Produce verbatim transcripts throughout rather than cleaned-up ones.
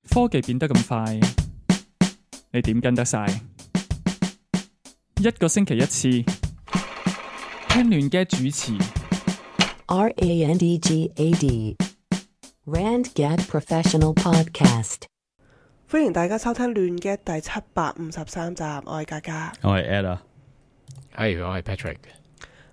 科技變得咁快，你點跟得晒？一個星期一次，聽亂嘅主持。R A N D G A D Rand Gad Professional Podcast。歡迎大家收聽亂嘅第七百五十三集，我係嘉嘉，我係 Ed 啊，係我係 Patrick。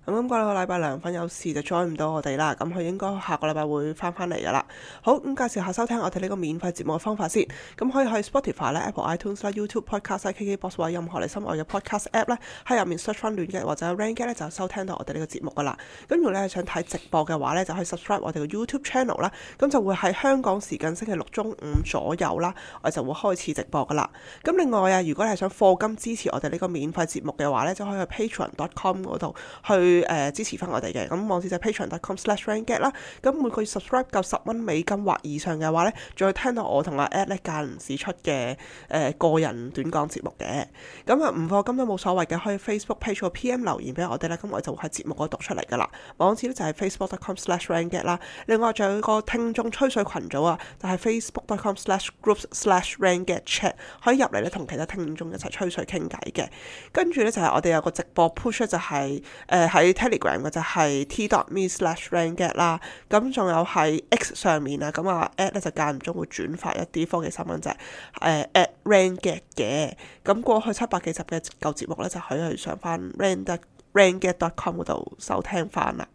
咁今個禮拜梁粉有事就 join 唔到我哋啦，咁佢應該下個禮拜會翻返嚟噶啦。好，咁介紹下收聽我哋呢個免費節目嘅方法先。咁可以去 Spotify 咧、Apple iTunes 啦、YouTube Podcast 啦、K K Box 或者任何你心愛嘅 Podcast App 咧，喺入面 search 翻亂嘅或者 Rank 咧，就收聽到我哋呢個節目噶啦。咁如果你係想睇直播嘅話咧，就可以 subscribe 我哋嘅 YouTube Channel 啦。咁就會喺香港時間星期六中午左右啦，我哋就會開始直播噶啦。咁另外啊，如果你係想課金支持我哋呢個免費節目嘅話咧，就可以去 patreon dot com 嗰度去。誒、呃、支持翻我哋嘅，咁網址就係 patreon dot com slash ranket 啦。咁每個月 subscribe 夠十蚊美金或以上嘅話咧，仲會聽到我同阿 Ed 咧間唔時出嘅誒、呃、個人短講節目嘅。咁啊唔課金都冇所謂嘅，可以 Facebook page 個 P M 留言俾我哋咧，咁我就會喺節目嗰度讀出嚟噶啦。網址咧就係 facebook dot com slash ranket 啦。另外仲有個聽眾吹水群組啊，就係 facebook dot com slash groups slash ranket chat， 可以入嚟咧同其他聽眾一齊吹水傾偈嘅。跟住咧就係我哋有個直播 push 就係誒喺 Telegram 嘅就係 t dot me slash ranket 啦，咁仲有喺 X 上面啊，咁啊 at 咧就間唔中會轉發一啲科技新聞就係誒 at ranket 嘅，咁過去七百幾集嘅舊節目咧就可以去上翻 ranket ranket dot com 嗰度收聽翻啦。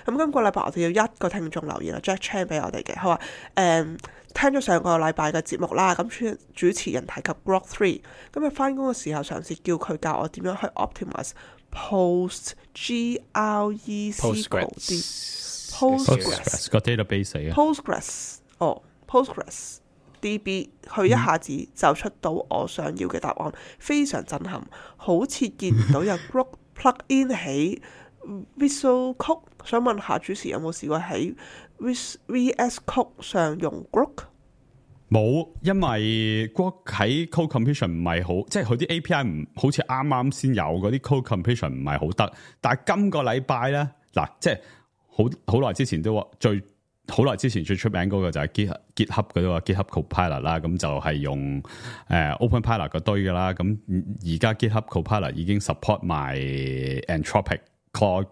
咁今個禮拜我哋要一個聽眾留言啊 Jack Chan 俾我哋嘅，佢話誒聽咗上個禮拜嘅節目啦，咁主持人提及 Grok three， 咁啊翻工嘅時候嘗試叫佢教我點樣去 optimize Post G R E C Postgres Postgres 個 database 嚟嘅 Postgres 哦 Postgres D B， 佢一下子就出到我想要嘅答案，非常震撼，好似見唔到有 Grok plug in 喺 Visual Code。想問下主持有冇試過喺 V S Code 上用 Grok？冇，因為 Grok 喺 code completion 唔係好，即係佢啲 A P I 唔好似啱啱先有嗰啲 code completion 唔係好得。但係今個禮拜咧，嗱，即係好好耐之前都話最好耐之前最出名嗰個就係 GitHub GitHub 嗰個 GitHub Copilot 啦，咁就係用誒、呃、OpenPilot 嗰堆噶啦。咁而家 GitHub Copilot 已經 support 埋 Anthropic Claude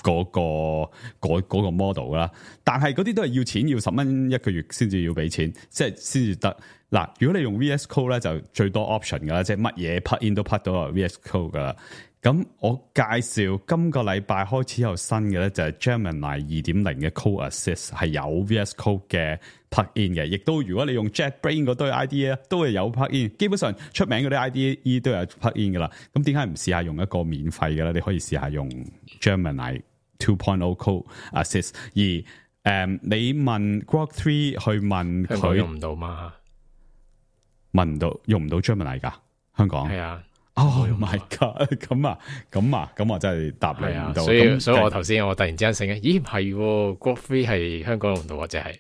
嗰、嗰個嗰、嗰個 model 啦，但係嗰啲都係要錢，要十蚊一個月先至要俾錢，即係先至得。嗱，如果你用 V S Code 咧，就最多 option 噶啦，即係乜嘢 plug in 都 plug 到 V S Code 噶啦。咁我介紹今個禮拜開始有新嘅咧，就係 Gemini 二點零嘅 Code Assist 係有 V S Code 嘅 plug in 嘅，亦都如果你用 JetBrains 嗰堆 I D E 咧，都係有 plug in。基本上出名嗰啲 I D E 都有 plug in 噶啦。咁點解唔試下用一個免費嘅咧？你可以試下用 Gemini two point oh Code Assist。而誒、嗯，你問 Grok three 去問佢用唔到嘛？問唔到，用唔到 Gemini 噶香港係啊。Oh my god！咁啊，咁啊，咁我真係答你唔到。所以所以我頭先我突然之間醒起，咦唔係 Grok three 係香港用唔到或者係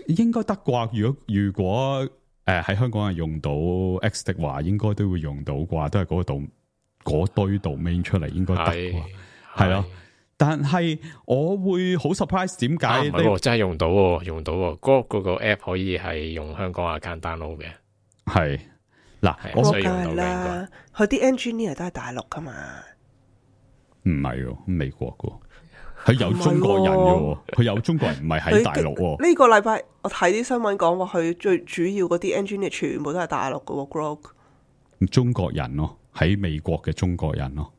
應該得啩？如果如果誒喺、呃、香港係用到 X 的話，應該都會用到啩？都係嗰個度嗰堆 domain 出嚟，應該得啩？係咯。但係我會好 surprise，點解？唔係喎，真係用到喎，用到喎。Grok 嗰個 app 可以係用香港 account download 嘅。係嗱，我所以用梗係啦，佢啲 engineer 都係大陸噶嘛？唔係喎，美國噶，佢有中國人嘅，佢有中國人唔係喺大陸。呢個禮拜我睇啲新聞講話，佢最主要嗰啲 engineer 全部都係大陸嘅 Grok。中國人咯，喺美國嘅中國人咯。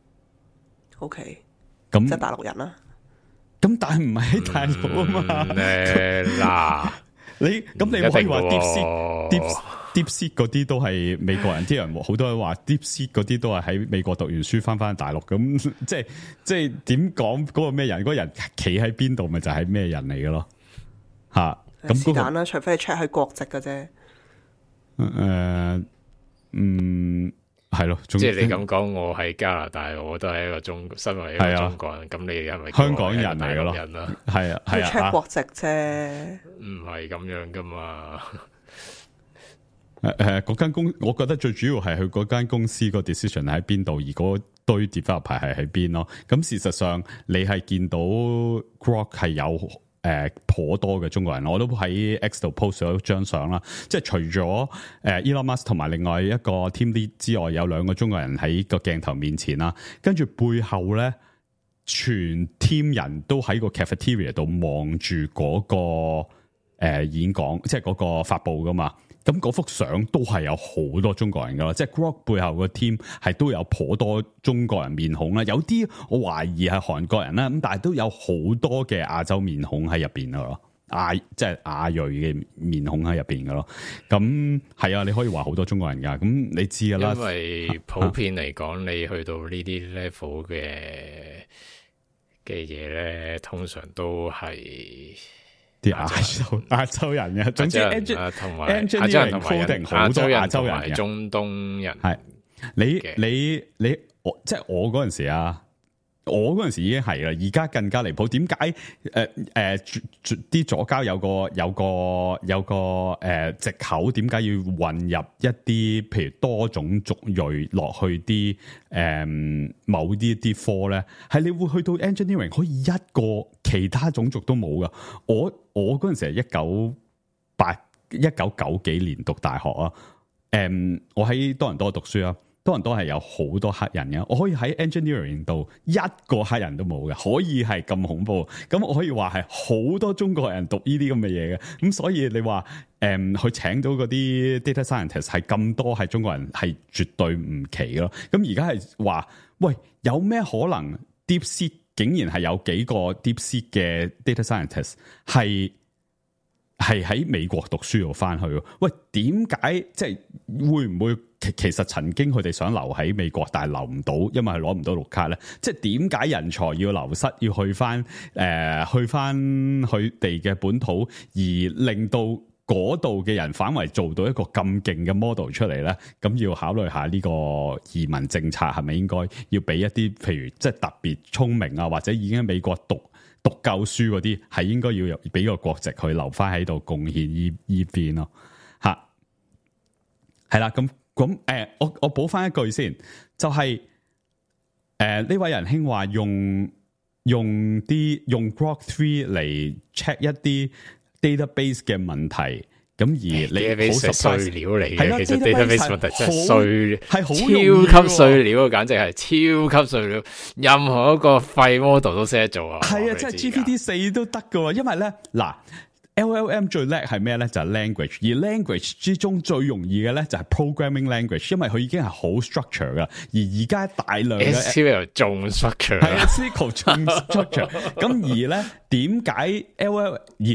OK。咁即係大陸人啦，咁但係唔係喺大陸啊嘛？嗱、嗯，你咁你可以話 DeepSeek、Deep DeepSeek 嗰啲都係美國人，啲人好多人話 DeepSeek 嗰啲都係喺美國讀完書翻翻大陸，咁即係即係點講嗰個咩人？嗰、嗰個人企喺邊度，咪就係咩人嚟嘅咯？吓咁是但啦，除非你 check 佢國籍嘅啫。誒、呃，嗯。係咯，即係你咁講，我喺加拿大，我都係一個中，身為一個中國人，咁、啊、你係咪香港人嚟嘅咯？係啊，係啊 check 國籍啫，唔係咁樣噶嘛。誒誒，嗰間公，我覺得最主要係佢嗰間公司個 decision 喺邊度，而嗰堆 developer 係喺邊咯。咁事實上，你係見到 Grok 係有誒頗多嘅中國人，我都喺 X 度 post 咗張相啦。即係除咗誒 Elon Musk 同埋另外一個 team lead 之外，有兩個中國人喺個鏡頭面前啦。跟住背後咧，全 team 人都喺個 cafeteria 度望住嗰個誒、呃、演講，即係嗰個發佈噶嘛。咁嗰幅相都係有好多中國人噶啦，即係 Grok 背後個 team 係都有頗多中國人面孔啦，有啲我懷疑係韓國人啦，咁但係都有好多嘅亞洲面孔喺入邊噶咯，亞即係亞裔嘅面孔喺入邊噶咯。咁係啊，你可以話好多中國人噶，咁你知噶啦。因為普遍嚟講，啊、你去到呢啲 level 嘅嘅嘢咧，通常都係。啲亞洲亞洲人嘅，總之同埋亞洲人同埋好多亞洲人嘅中東人係你你你我即係我嗰陣時啊，我嗰陣時已經係啦，而家更加離譜。點解誒誒啲左膠有個有個有個誒藉口？點解要混入一啲譬如多種族裔落去啲誒、呃、某啲啲科咧？係你會去到 engineering 可以一個其他種族都冇噶。我我嗰陣時係一九八一九九幾年讀大學啊。誒、嗯，我喺多倫多讀書啊。多倫多係有好多黑人嘅，我可以喺 engineering 度一個黑人都冇嘅，可以係咁恐怖。咁我可以話係好多中國人讀呢啲咁嘅嘢嘅。咁所以你話誒，佢、嗯、請到嗰啲 data scientist 係咁多係中國人，係絕對唔奇咯。咁而家係話，喂，有咩可能 DeepSeek 竟然係有幾個 DeepSeek 嘅 data scientist 係係喺美國讀書度翻去？喂，點解即係會唔會？其實曾經佢哋想留喺美國，但係留唔到，因為係攞唔到綠卡咧。即係點解人才要流失，要去翻誒、呃、去翻佢哋嘅本土，而令到嗰度嘅人反為做到一個咁勁嘅 model 出嚟咧？咁要考慮下呢個移民政策係咪應該要俾一啲譬如即係特別聰明啊，或者已經喺美國讀讀夠書嗰啲，係應該要俾個國籍去留翻喺度貢獻依依邊咯？嚇，係啦，咁。咁誒、呃，我我補翻一句先，就係誒呢位仁兄話用用啲用 Grok three 嚟 check 一啲 database 嘅問題，咁而你好碎料嚟嘅，係啦，其實 database 問題真係碎，係好超級碎料，簡直係超級碎料，任何一個廢 model 都識得做啊！係啊，即係 G P T 四都得噶，因為咧嗱。L L M 最叻係咩咧？就係、是、language，而 language 之中最容易嘅咧就係 programming language，因為佢已經係好 structure 噶。而而家大量嘅 S Q L 仲 structure， 係 S Q L 仲 structure。咁而咧點解 L L M 而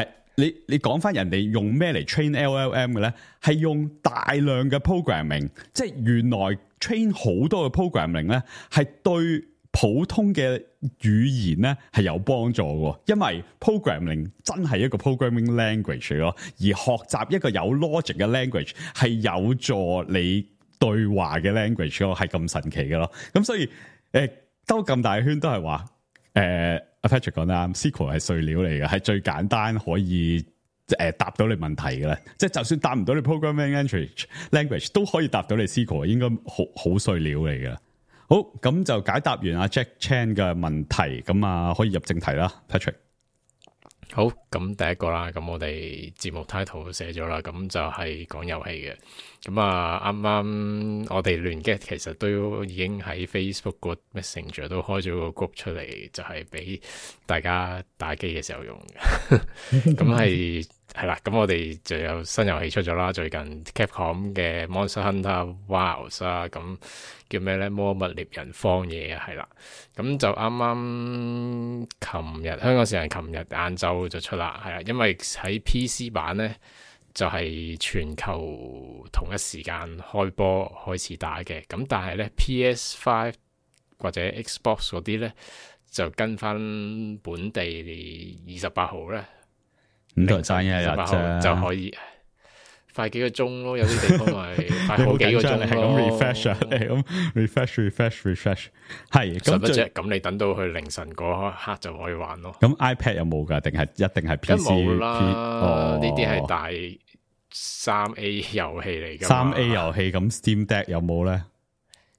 誒你你講翻人哋用咩嚟 train L L M 嘅咧？係用大量嘅 programming， 即係原來 train 好多嘅 programming 咧係對普通嘅語言咧係有幫助嘅，因為 programming 真係一個 programming language 咯，而學習一個有 logic 嘅 language 係有助你對話嘅 language 咯，係咁神奇嘅咯。咁所以誒兜咁大圈都係話誒阿 Patrick 講得啱 ，S Q L 係碎料嚟嘅，係最簡單可以誒答到你問題嘅咧。即係就算答唔到你 programming language language 都可以答到你 S Q L， 應該好好碎料嚟嘅。好，咁就解答完阿 Jack Chan 嘅問題，咁啊可以入正題啦 ，Patrick。好，咁第一個啦，咁我哋節目 title 寫咗啦，咁就係講遊戲嘅。咁啊，啱啱我哋聯擊其實都已經喺 Facebook 個 Messenger 都開咗個 group 出嚟，就係俾大家打機嘅時候用嘅。咁係係啦，咁我哋就有新遊戲出咗啦，最近 Capcom 嘅 Monster Hunter Wilds 啊，咁叫咩咧？魔物獵人荒野啊，係啦。咁就啱啱琴日香港時間琴日晏晝就出啦，係啦，因為喺 P C 版咧就係、是、全球同一時間開波開始打嘅，咁但係咧 P S 五 或者 Xbox 嗰啲咧就跟翻本地二十八號咧，五台爭一日啫，就可以快幾個鐘咯，有啲地方咪快好幾個鐘咯。係咁 refresh 啊，係咁 refresh refresh refresh， 係咁啫。咁你等到去凌晨嗰刻就可以玩咯。咁 iPad 有冇噶？定係一定係 P C？冇啦，呢啲係大三 A 遊戲嚟噶。三 A 遊戲咁 Steam Deck 有冇咧？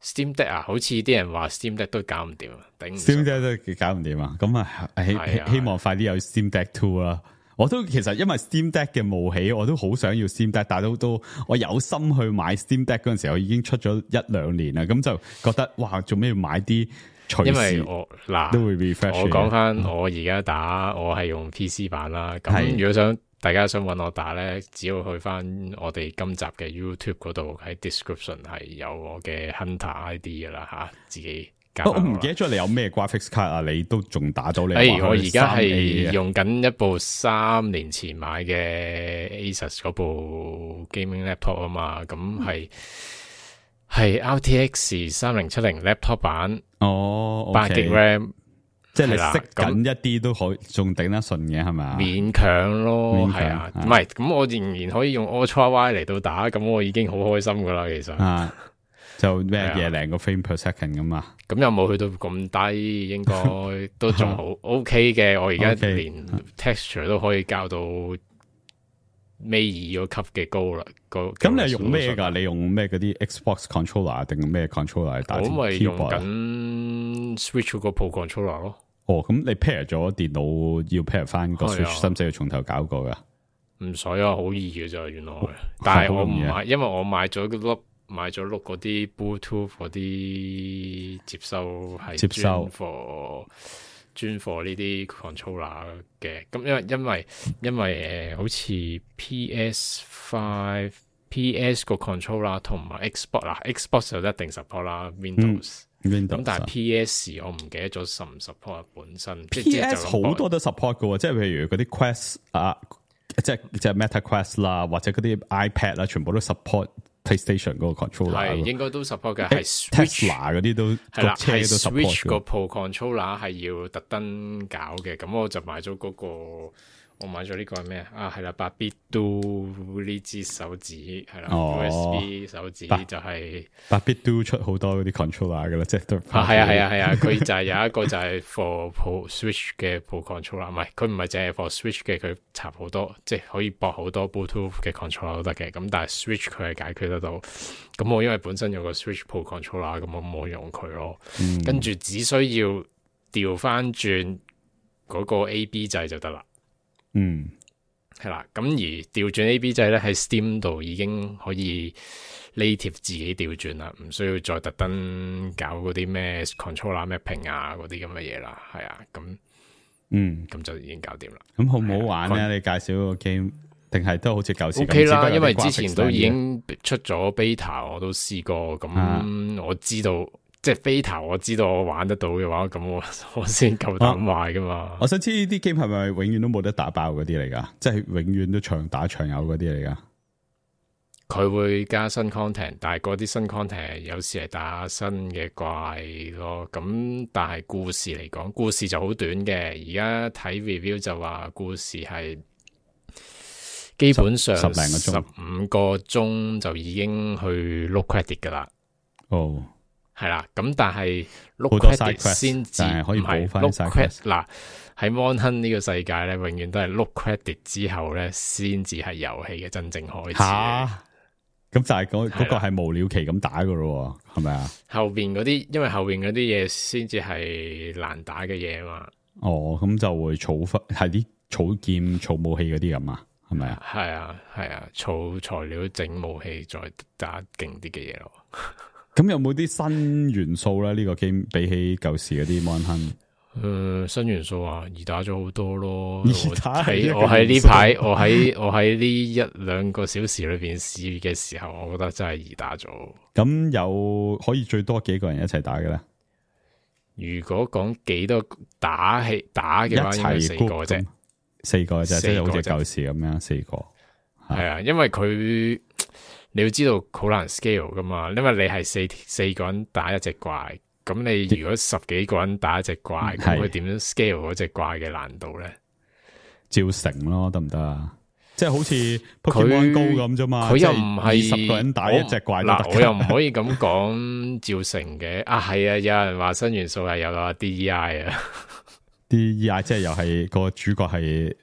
Steam Deck 啊，好似啲人話 Steam Deck 都搞唔掂啊，頂唔順。 Steam Deck 都搞唔掂啊！咁啊，希係啊希望快啲有 Steam Deck Two 啦。我都其實因為 Steam Deck 嘅冒起，我都好想要 Steam Deck，但係都都我有心去買 Steam Deck 嗰陣時候已經出咗一兩年啦，咁就覺得哇，做咩要買啲隨時因為我嗱都會 refresh。我講翻我而家打，我係用 P C 版啦。咁係如果想大家想揾我打咧，只要去翻我哋今集嘅 YouTube 嗰度，喺 description 係有我嘅 Hunter I D 噶啦吓，自己加我返啦唔記得咗你有咩 graphics card 啊？你都仲打到你？哎，我而家係 三 A 啊用緊一部三年前買嘅 Asus 嗰部 gaming laptop 啊嘛，咁係係 R T X 三零七零 laptop 版，哦，八 G RAM，即係你係啦識緊一啲都可仲頂得順嘅係咪？勉強咯，勉強係啊，啊唔係咁我仍然可以用 Ultra Y 嚟到打，咁我已經好開心噶啦，其實。啊，就咩係啊嘢零個 frame per second 咁啊？咁又冇去到咁低，應該都仲好 OK 嘅。我而家 OK 連 texture 都可以校到尾二嗰級嘅高啦。個咁你係用咩㗎？你用咩嗰啲 Xbox controller 定咩 controller 嚟打我咪用 keyboard 啊？緊 Switch 嗰個 Pro Controller 咯。哦，咁你 pair 咗電腦要 pair 翻個係啊 Switch，使唔使要從頭搞過㗎？唔使啊，好易嘅咋原來。但係我唔好容易啊係，因為我買咗碌買咗碌嗰啲 Bluetooth 嗰啲接收係接收專 for 專 for 呢啲 controller 嘅。咁因為因為因為誒、呃、好似 P S Five、P S 個 controller 同埋 Xbox 啦 ，Xbox 就一定 support 啦 Windows。咁、 Windows 但係啊 P S 我唔記得咗 support 唔 support 本身。即 P 即係 S 就咁講好多都 support 嘅喎，即係譬如嗰啲 Quest 啊，即係即係 Meta Quest 啦，或者嗰啲 iPad 啦，全部都 support PlayStation 嗰個 controller 係咯。應該都 support 嘅，係 Switch。 Tesla 嗰啲都係啦，個車都係 support Switch 個嘅。 Pro Controller 係要特登搞嘅，咁我就買咗嗰、個，我買咗呢個係咩啊？啊係啦，八 bit do 呢支手指係啦、哦 U S B 手指八就係、八 bit 都出好多嗰啲 controller 嘅啦，即係都啊係啊係啊係啊，佢就係有一個就係 for Pro Switch 嘅 Pro Controller，唔係佢唔係淨係 for Switch 嘅，佢插好多即係可以駁好多 Bluetooth 嘅 controller 都得嘅，咁但係 Switch 佢係解決得到。咁我因為本身有個 Switch Pro Controller，咁我冇用佢咯。嗯跟住只需要調翻轉嗰個 A B 掣就得啦，嗯係啦。咁而調轉 A B 掣咧喺 Steam 度已經可以 native 自己調轉啦，唔需要再特登搞嗰啲咩 controller mapping 啊嗰啲咁嘅嘢啦，係啊，咁嗯，咁就已經搞掂啦。咁好唔好玩咧？你介紹個 game 定係都好似舊時 O K 啦，咁只不過有啲因為之前 graphics 都已靚經出咗 beta，我都試過，咁、啊我知道即係 beta，我知道我玩得到嘅話，咁我我先夠膽買噶嘛。我想知呢啲 game 係咪永遠都冇得打爆嗰啲嚟噶？即係永遠都長打長有嗰啲嚟噶？佢會加新 content，但係嗰啲新 content 有時係打新嘅怪咯。咁但係故事嚟講，故事就好短嘅。而家睇 review 就話故事係基本上十十零個鐘十五個鐘就已經去 look credit 噶啦。哦，係啦，咁但係 look 好多 side credit quest，先至但係可以唔係補返 look side credit quest 嗱喺 Monhun 呢個世界咧，永遠都係 look credit 之後咧，先至係遊戲嘅真正開始嘅。吓，咁就係嗰係啦嗰個係無了期咁打噶咯，係咪啊？後邊嗰啲，因為後邊嗰啲嘢先至係難打嘅嘢啊嘛。哦，咁就會儲翻係啲儲劍、儲武器嗰啲咁啊，係咪啊？係啊，係啊，儲材料整武器再打勁啲嘅嘢咯。咁有冇啲新元素咧？呢、個 game 比起舊時嗰啲 Monhun，誒、呃，新元素啊，易打咗好多咯。易打係一個喺我喺呢元素排，我喺我喺呢一兩個小時裏邊試嘅時候，我覺得真係易打咗。咁有可以最多幾個人一齊打嘅咧？如果講幾多打氣打一嘅話，應該齊四個 group 啫咁。，四個啫，即四係好似個啫舊時咁樣，四個。係啊，因為佢你要知道好難 scale 噶嘛，因為你係四四個人打一隻怪，咁你如果十幾個人打一隻怪，咁係佢點樣 scale 嗰隻怪嘅難度咧？照成咯，得唔得啊？即係好似佢 Pokemon Go 咁啫嘛，佢又唔係二十個人打一隻怪都得嗱，我又唔可以咁講照成嘅啊，係啊，有人話新元素係有啊 D E I 啊， D E I 即係又係個主角係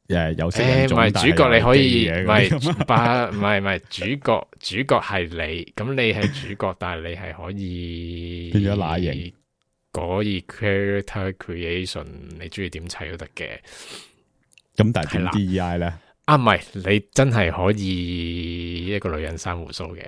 誒有色誒唔人種，但係主角，你可以係唔係有基嘅嗰啲咁把唔係唔係主角，主角係你，咁你係主角，但係你係可以變咗乸型，可以 character creation，你中意點砌都得嘅。咁但係點係啦 D E I 咧？啊，唔係你真係可以一個女人生胡鬚嘅。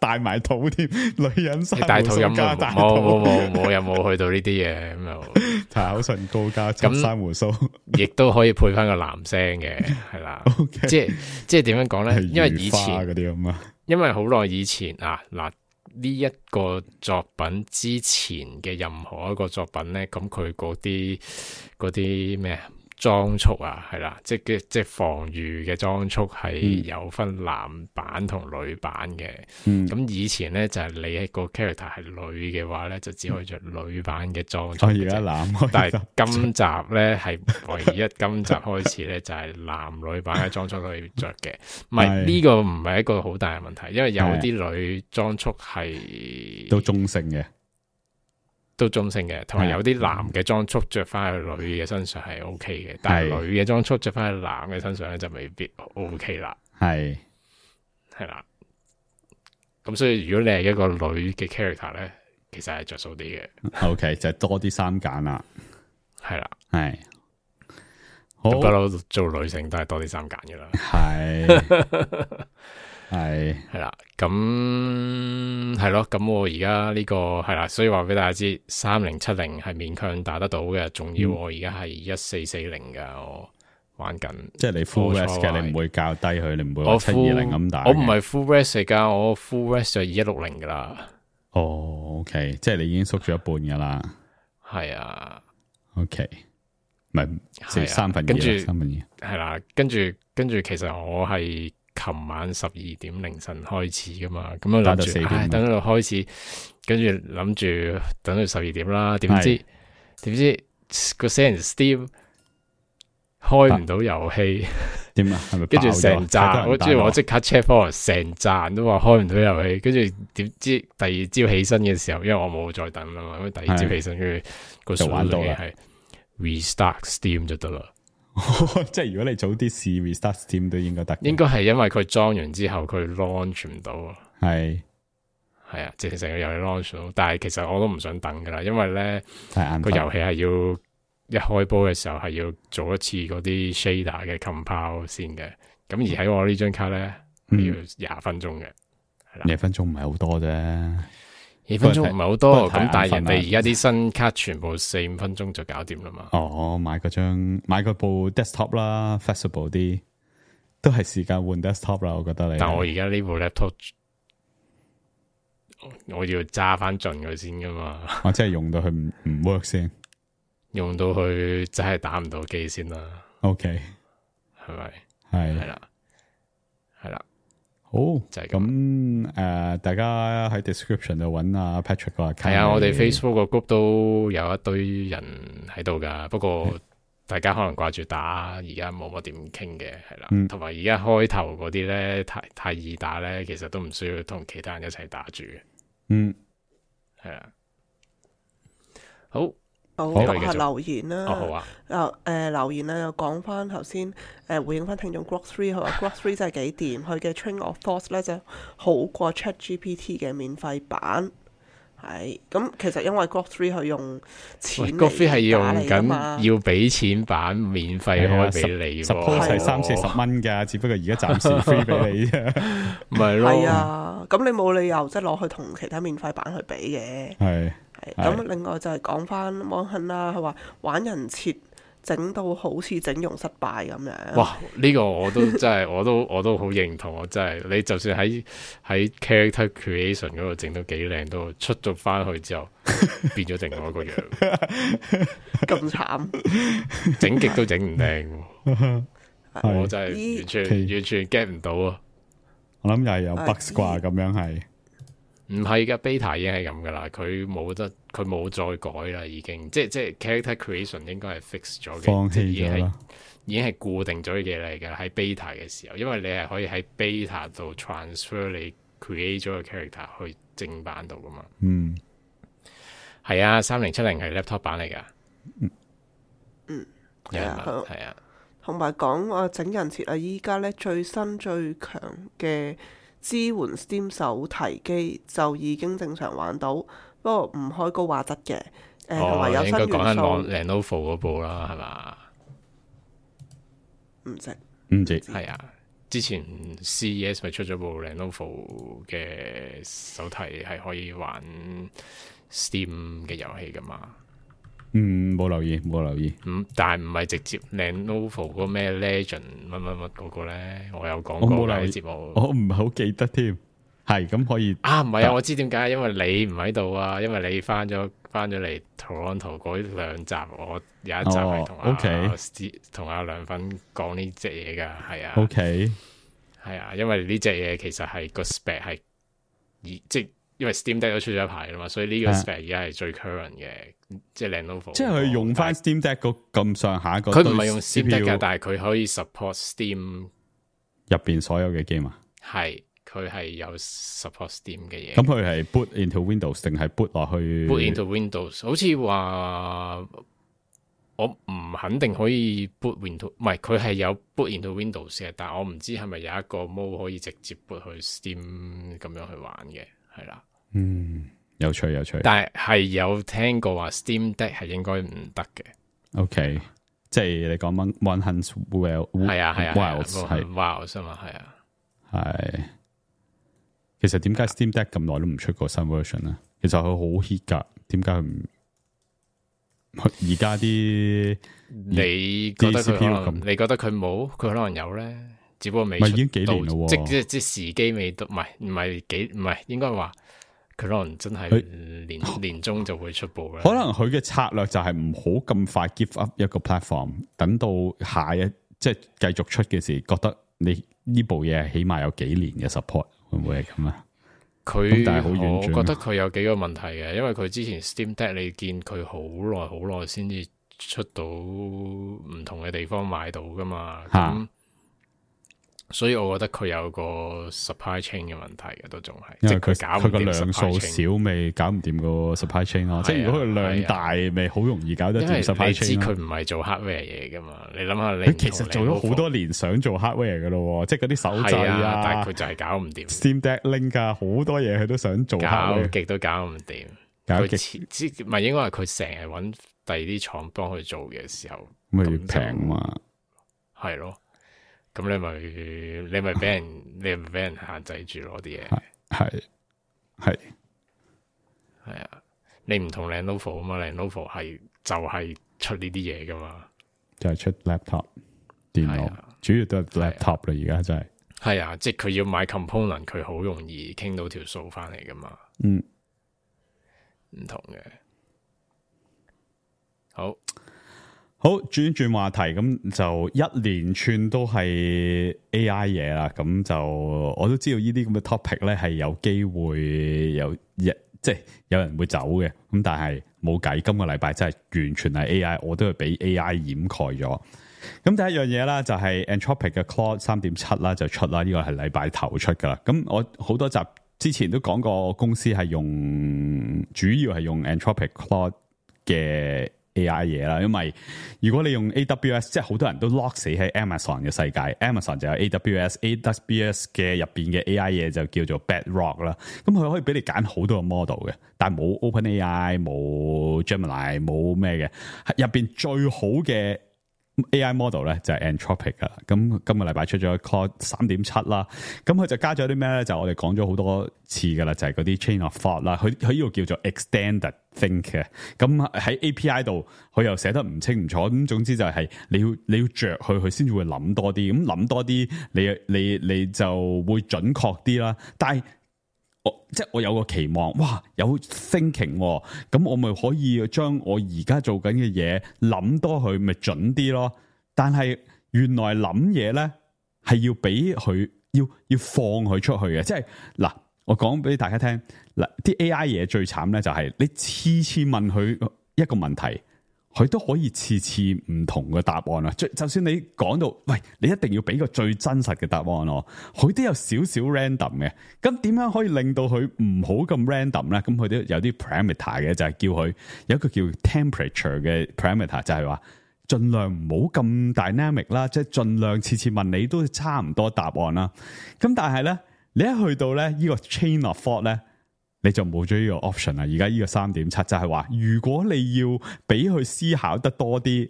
戴埋套添，女人生你大肚飲冇加大冇冇冇有冇去到呢啲嘢咁又，搽口唇膏加咁生胡鬚，亦都可以配翻個男聲嘅，係啦。即係即係點樣講咧？因為以前嗰啲咁啊，因為好耐以前啊嗱呢一個作品之前嘅任何一個作品咧，咁佢嗰啲嗰啲咩啊？裝束啊，係啦，即係即係防禦嘅裝束係有分男版同女版嘅。咁、嗯、以前咧就係、是、你一個 character 係女嘅話咧，就只可以着女版嘅裝束。而家男，但係今集咧係唯一今集開始咧就係男女版嘅裝束可以着嘅。唔係呢個唔係一個好大嘅問題，因為有啲女裝束係都中性嘅。都中性嘅，同埋有啲男嘅裝束着翻去女嘅身上係 O K 嘅，但係女嘅裝束着翻去男嘅身上咧就未必 O K 啦。係係啦，咁所以如果你係一個女嘅 character 咧，其實係着數啲嘅。O K 就係多啲衫揀啦，係啦，係好不嬲做女性都係多啲衫揀噶啦，係。係係啦，咁係咯，咁我而家呢個係啦，所以話俾大家知，三零七零係勉強打得到嘅，仲要我而家係一四四零噶，我玩緊，即係你 full rest 嘅，你唔會較低佢，你唔會話七二零咁打。我唔係 full rest 嚟噶，我 full rest 就二一六零噶啦。哦，OK，即係你已經縮咗一半噶啦。係啊 ，OK，唔係四三分二，三分二係啦，跟住跟住，其實我係。琴晚十二點凌晨開始噶嘛，咁我諗住，唉，等到開始，跟住諗住等到十二點啦，點知點知個死人 Steam 開唔到遊戲，點啊？係咪？跟住成扎，我即係我即刻 check 翻，成扎人都話開唔到遊戲，跟住點知第二朝起身嘅時候，因為我冇再等啦嘛，咁第二朝起身跟住個數據係 restart Steam 就得啦。即係如果你早啲試 restart Steam 都應該得，應該係因為佢裝完之後佢 launch 唔到，係係啊，即係成個遊戲 launch 到，但係其實我都唔想等噶啦，因為咧個遊戲係要一開波嘅時候係要做一次嗰啲 shader 嘅 compile 先嘅，咁而喺我呢張卡咧、嗯、要廿分鐘嘅，係啦，廿分鐘唔係好多啫。二分鐘唔係好多，咁但係人哋而家啲新卡全部四五分鐘就搞掂啦嘛。哦，買嗰張買嗰部 desktop 啦 ，flexible 啲，都係時間換 desktop 啦。我覺得你，但我而家呢部 laptop，我要揸翻盡佢先噶嘛。我真係用到佢唔唔 work 先，用到佢真係打唔到機先啦。OK，係咪？係係啦，係啦。好就係咁誒，大家喺 description 度揾阿 Patrick 個 account。係啊，我哋 Facebook 個 group 都有一堆人喺度噶，不過大家可能掛住打，而家冇乜點傾嘅，係啦。同埋而家開頭嗰啲咧，太太易打咧，其實都唔需要同其他人一齊打住嘅。嗯，係啊。好。好，講下留言啦。哦，好啊。誒、呃，留言咧又講翻頭先，誒回應翻聽眾 Grok Three，佢話 Grok Three 真係幾掂，佢嘅 Train of Thoughts 咧就好過 Chat G P T 嘅免費版。係，咁其實因為 Grok Three 佢用錢嚟 Grok Three 係用緊要俾錢版免費開俾你，suppose 係三四十蚊㗎，只不過而家暫時 free 俾你啫。唔係咯。係啊，咁你冇理由即係攞去同其他免費版去比嘅。係。咁另外就係講翻芒亨啦，佢話玩人設整到好似整容失敗咁樣。哇！呢、這個我都真係，我都我都好認同，我真係你就算喺喺 character creation 嗰度整到幾靚，都出咗翻去之後變咗另外一個樣，咁慘，整極都整唔靚。我真係完全完全 get 唔到啊！我諗又係有 bugs 啩，咁樣係。唔係噶 ，beta 已經係咁噶啦，佢冇得，佢冇再改啦，已經，即係即係 character creation 應該係 fix 咗嘅，放棄咗啦，已經係固定咗嘅嘢嚟嘅，喺 beta 嘅時候，因為你係可以喺 beta 度 transfer 你 create 咗個 character 去正版度噶嘛。嗯，係啊，三零七零係 laptop 版嚟噶。嗯，係啊，係啊。同埋講話整人設啊，依家咧最新最強嘅支援 Steam 手提機就已經正常玩到，不過唔開高畫質嘅。誒同埋有新元素。應該講緊 Lenovo 嗰部啦，係嘛？唔識唔知係啊，之前 C E S 咪出咗部 Lenovo 嘅手提係可以玩 Steam 嘅遊戲噶嘛？嗯，冇留意，冇留意。嗯，但係唔係直接 Lenovo 嗰個咩 Legend 乜乜乜嗰個咧？我有講我冇過留意嘅節目，我唔係好記得添。係咁可以啊？唔係啊，我知點解，因為你唔喺度啊，因為你翻咗翻咗嚟 Toronto 嗰兩集，我有一集係同阿 OK 同阿梁粉講呢隻嘢噶，係啊 OK 係啊，因為呢隻嘢其實係個 spec 係即係因為 Steam Deck 都出咗一排啦嘛，所以呢個 spec 而家係最 current 嘅，即係 Lenovo。即係佢用翻 Steam Deck 嗰咁上下個，佢唔係用 Steam Deck 嘅，但係佢可以 support Steam 入邊所有嘅 game 啊。係。佢係有 support Steam 嘅嘢，咁佢係 boot into Windows 定係 boot 落去 ？boot into Windows， 好似話我唔肯定可以 boot into， 唔係佢係有 boot into Windows 嘅，但係我唔知係咪有一個 mode 可以直接 boot 去 Steam 咁樣去玩嘅，係啦。嗯，有趣有趣。但係係有聽過話 Steam Deck 係應該唔得嘅。OK，即係你講 One Hunt Wild 係啊係啊 Wilds 係 Wilds 啊嘛係啊係。其實點解 Steam Deck 咁耐都唔出個新 version 咧？其實佢好 hit 噶，點解佢唔？而家啲你覺得佢可能？你覺得佢冇？佢可能有咧，只不過未出。咪已經幾年咯，即即即時機未到，唔係唔係幾唔係應該話佢可能真係年年中就會出部啦。可能佢嘅策略就係唔好咁快 give up 一個 platform， 等到下一即係繼續出嘅時，覺得你呢部嘢起碼有幾年嘅 support。會唔會係咁啊？佢但係好遠，我覺得佢有幾個問題嘅，因為佢之前 Steam Deck 你見佢好耐好耐先至出到唔同嘅地方買到噶嘛，咁、啊、所以我覺得佢有個 supply chain 嘅問題嘅，都仲係，即係佢搞唔掂。佢個量數少，咪搞唔掂個 supply chain 咯。即係如果佢量大，咪好、啊、容易搞得掂 supply chain 咯。佢唔係做 hardware 嘢噶嘛？你諗下，你佢其實做咗好多年想做 hardware 噶咯，即係嗰啲手掣啊，啊但係佢就係搞唔掂。Steam Deck Link 啊，好多嘢佢都想做 hardware，搞極都搞唔掂。搞極唔係應該係佢成日搵第二啲廠幫佢做嘅時候，咪平嘛？係咯。咁你咪你咪俾人你咪俾人限制住攞啲嘢，係係係啊！你唔同 Lenovo 啊嘛 Lenovo 係就係出呢啲嘢噶嘛，就係出 laptop 電腦，主要都係 laptop 啦。而家真係係啊，即係佢要買 component， 佢好容易傾到條數翻嚟噶嘛。嗯，唔同嘅，好。好，轉一轉話題，咁就一連串都係 A I 嘢啦。咁就我都知道呢啲咁嘅 topic 咧係有機會有一即係有人會走嘅。咁但係冇計，今個禮拜真係完全係 A I， 我都係俾 A I 掩蓋咗。咁第一樣嘢啦，就係 Anthropic 嘅 Claude 三點七啦，就出啦。呢個係禮拜頭出噶啦。咁我好多集之前都講過，公司係用主要係用 Anthropic Claude 嘅 A I 嘢啦，因為如果你用 A W S， 即係好多人都 lock 死喺 Amazon 嘅世界 ，Amazon 就有 A W S，A W S 嘅入邊嘅 A I 嘢就叫做 Bedrock 啦。咁佢可以俾你揀好多個 model 嘅，但係冇 OpenAI、冇 Gemini、冇咩嘅，入邊最好嘅 A I model 咧就係 Anthropic 噶啦。咁今個禮拜出咗 Claude 三點七啦，咁佢就加咗啲咩咧？就我哋講咗好多次噶啦，就係嗰啲 chain of thought 啦。佢佢呢個叫做 extended think 嘅。咁喺 A P I 度，佢又寫得唔清唔楚。咁總之就係你要你要着佢，佢先至會諗多啲。咁諗多啲，你你你就會準確啲啦。但係我即係我有個期望，哇，有 thinking，咁我咪可以將我而家做緊嘅嘢諗多佢，咪準啲咯。但係原來諗嘢咧係要俾佢要要放佢出去嘅，即係嗱，我講俾大家聽嗱，啲 A I 嘢最慘咧就係你次次問佢一個問題，佢都可以次次唔同嘅答案啊！就就算你講到，喂，你一定要俾個最真實嘅答案咯，佢都有少少 random 嘅。咁點樣可以令到佢唔好咁 random 咧？咁佢都有啲 parameter 嘅，就係叫佢有一個叫 temperature 嘅 parameter，就係話盡量唔好咁 dynamic 啦，即係盡量次次問你都差唔多答案啦。咁但係咧，你一去到咧呢個 chain of thought 咧，你就冇咗呢個 option 啦。而家呢個 三點七 就係話，如果你要俾佢思考得多啲，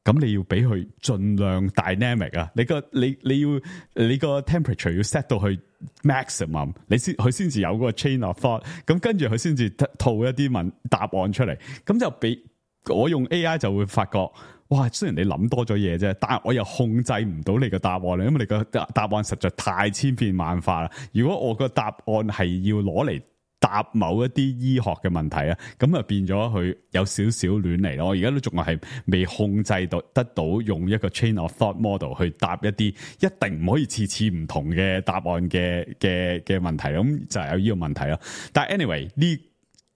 咁你要俾佢盡量 dynamic 啊。你個你你要你個 temperature 要 set 到去 maximum， 你先佢先至有嗰個 chain of thought。咁跟住佢先至套一啲問答案出嚟。咁就俾我用 A I 就會發覺。哇！雖然你諗多咗嘢啫，但係我又控制唔到你個答案啦，因為你個答案實在太千變萬化啦。如果我個答案係要攞嚟答某一啲醫學嘅問題啊，咁啊變咗佢有少少亂嚟咯。我而家都仲係未控制到得到用一個 chain of thought model 去答一啲一定唔可以次次唔同嘅答案嘅嘅嘅問題，咁就係有呢個問題咯。但係 anyway 呢？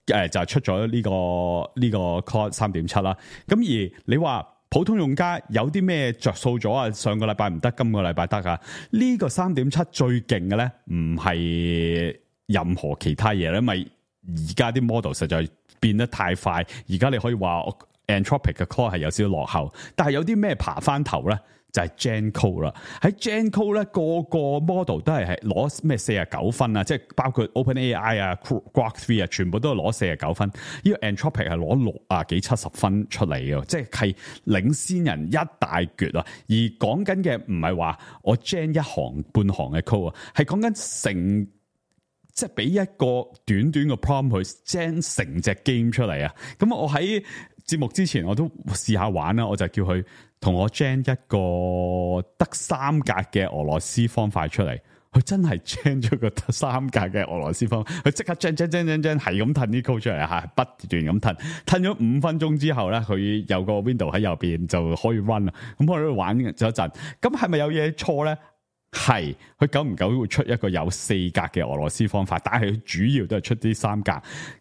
誒就係出咗呢個呢個 Claude 三點七啦。咁而你話普通用家有啲咩着數咗啊？上個禮拜唔得，今個禮拜得啊？呢個三點七最勁嘅咧，唔係任何其他嘢咧，因為而家啲 model 實在變得太快。而家你可以話 Anthropic 嘅 Claude 係有少少落後，但係有啲咩爬翻頭咧？就係 Gen Code 啦，喺 Gen Code 咧個個 model 都係係攞咩四十九分啊，即係包括 OpenAI 啊、Grok 三啊，全部都係攞四十九分。呢個 Anthropic 係攞六啊幾七十分出嚟嘅，即係係領先人一大橛啊！而講緊嘅唔係話我 Gen 一行半行嘅 code 啊，係講緊成即係俾一個短短嘅 prompt 去 Gen 成隻 game 出嚟啊！咁我喺節目之前我都試下玩啦，我就叫佢同我 gen 一個得三格嘅俄羅斯方塊出嚟，佢真係 gen 咗個得三格嘅俄羅斯方塊，佢即刻 gen gen gen gen gen 係咁褪啲 code 出嚟吓，不斷咁褪，褪咗五分鐘之後咧，佢有個 window 喺右邊就可以 run 啦。咁我喺度玩咗一陣，咁係咪有嘢錯咧？係，佢久唔久會出一個有四格嘅俄羅斯方塊，但係佢主要都係出啲三格。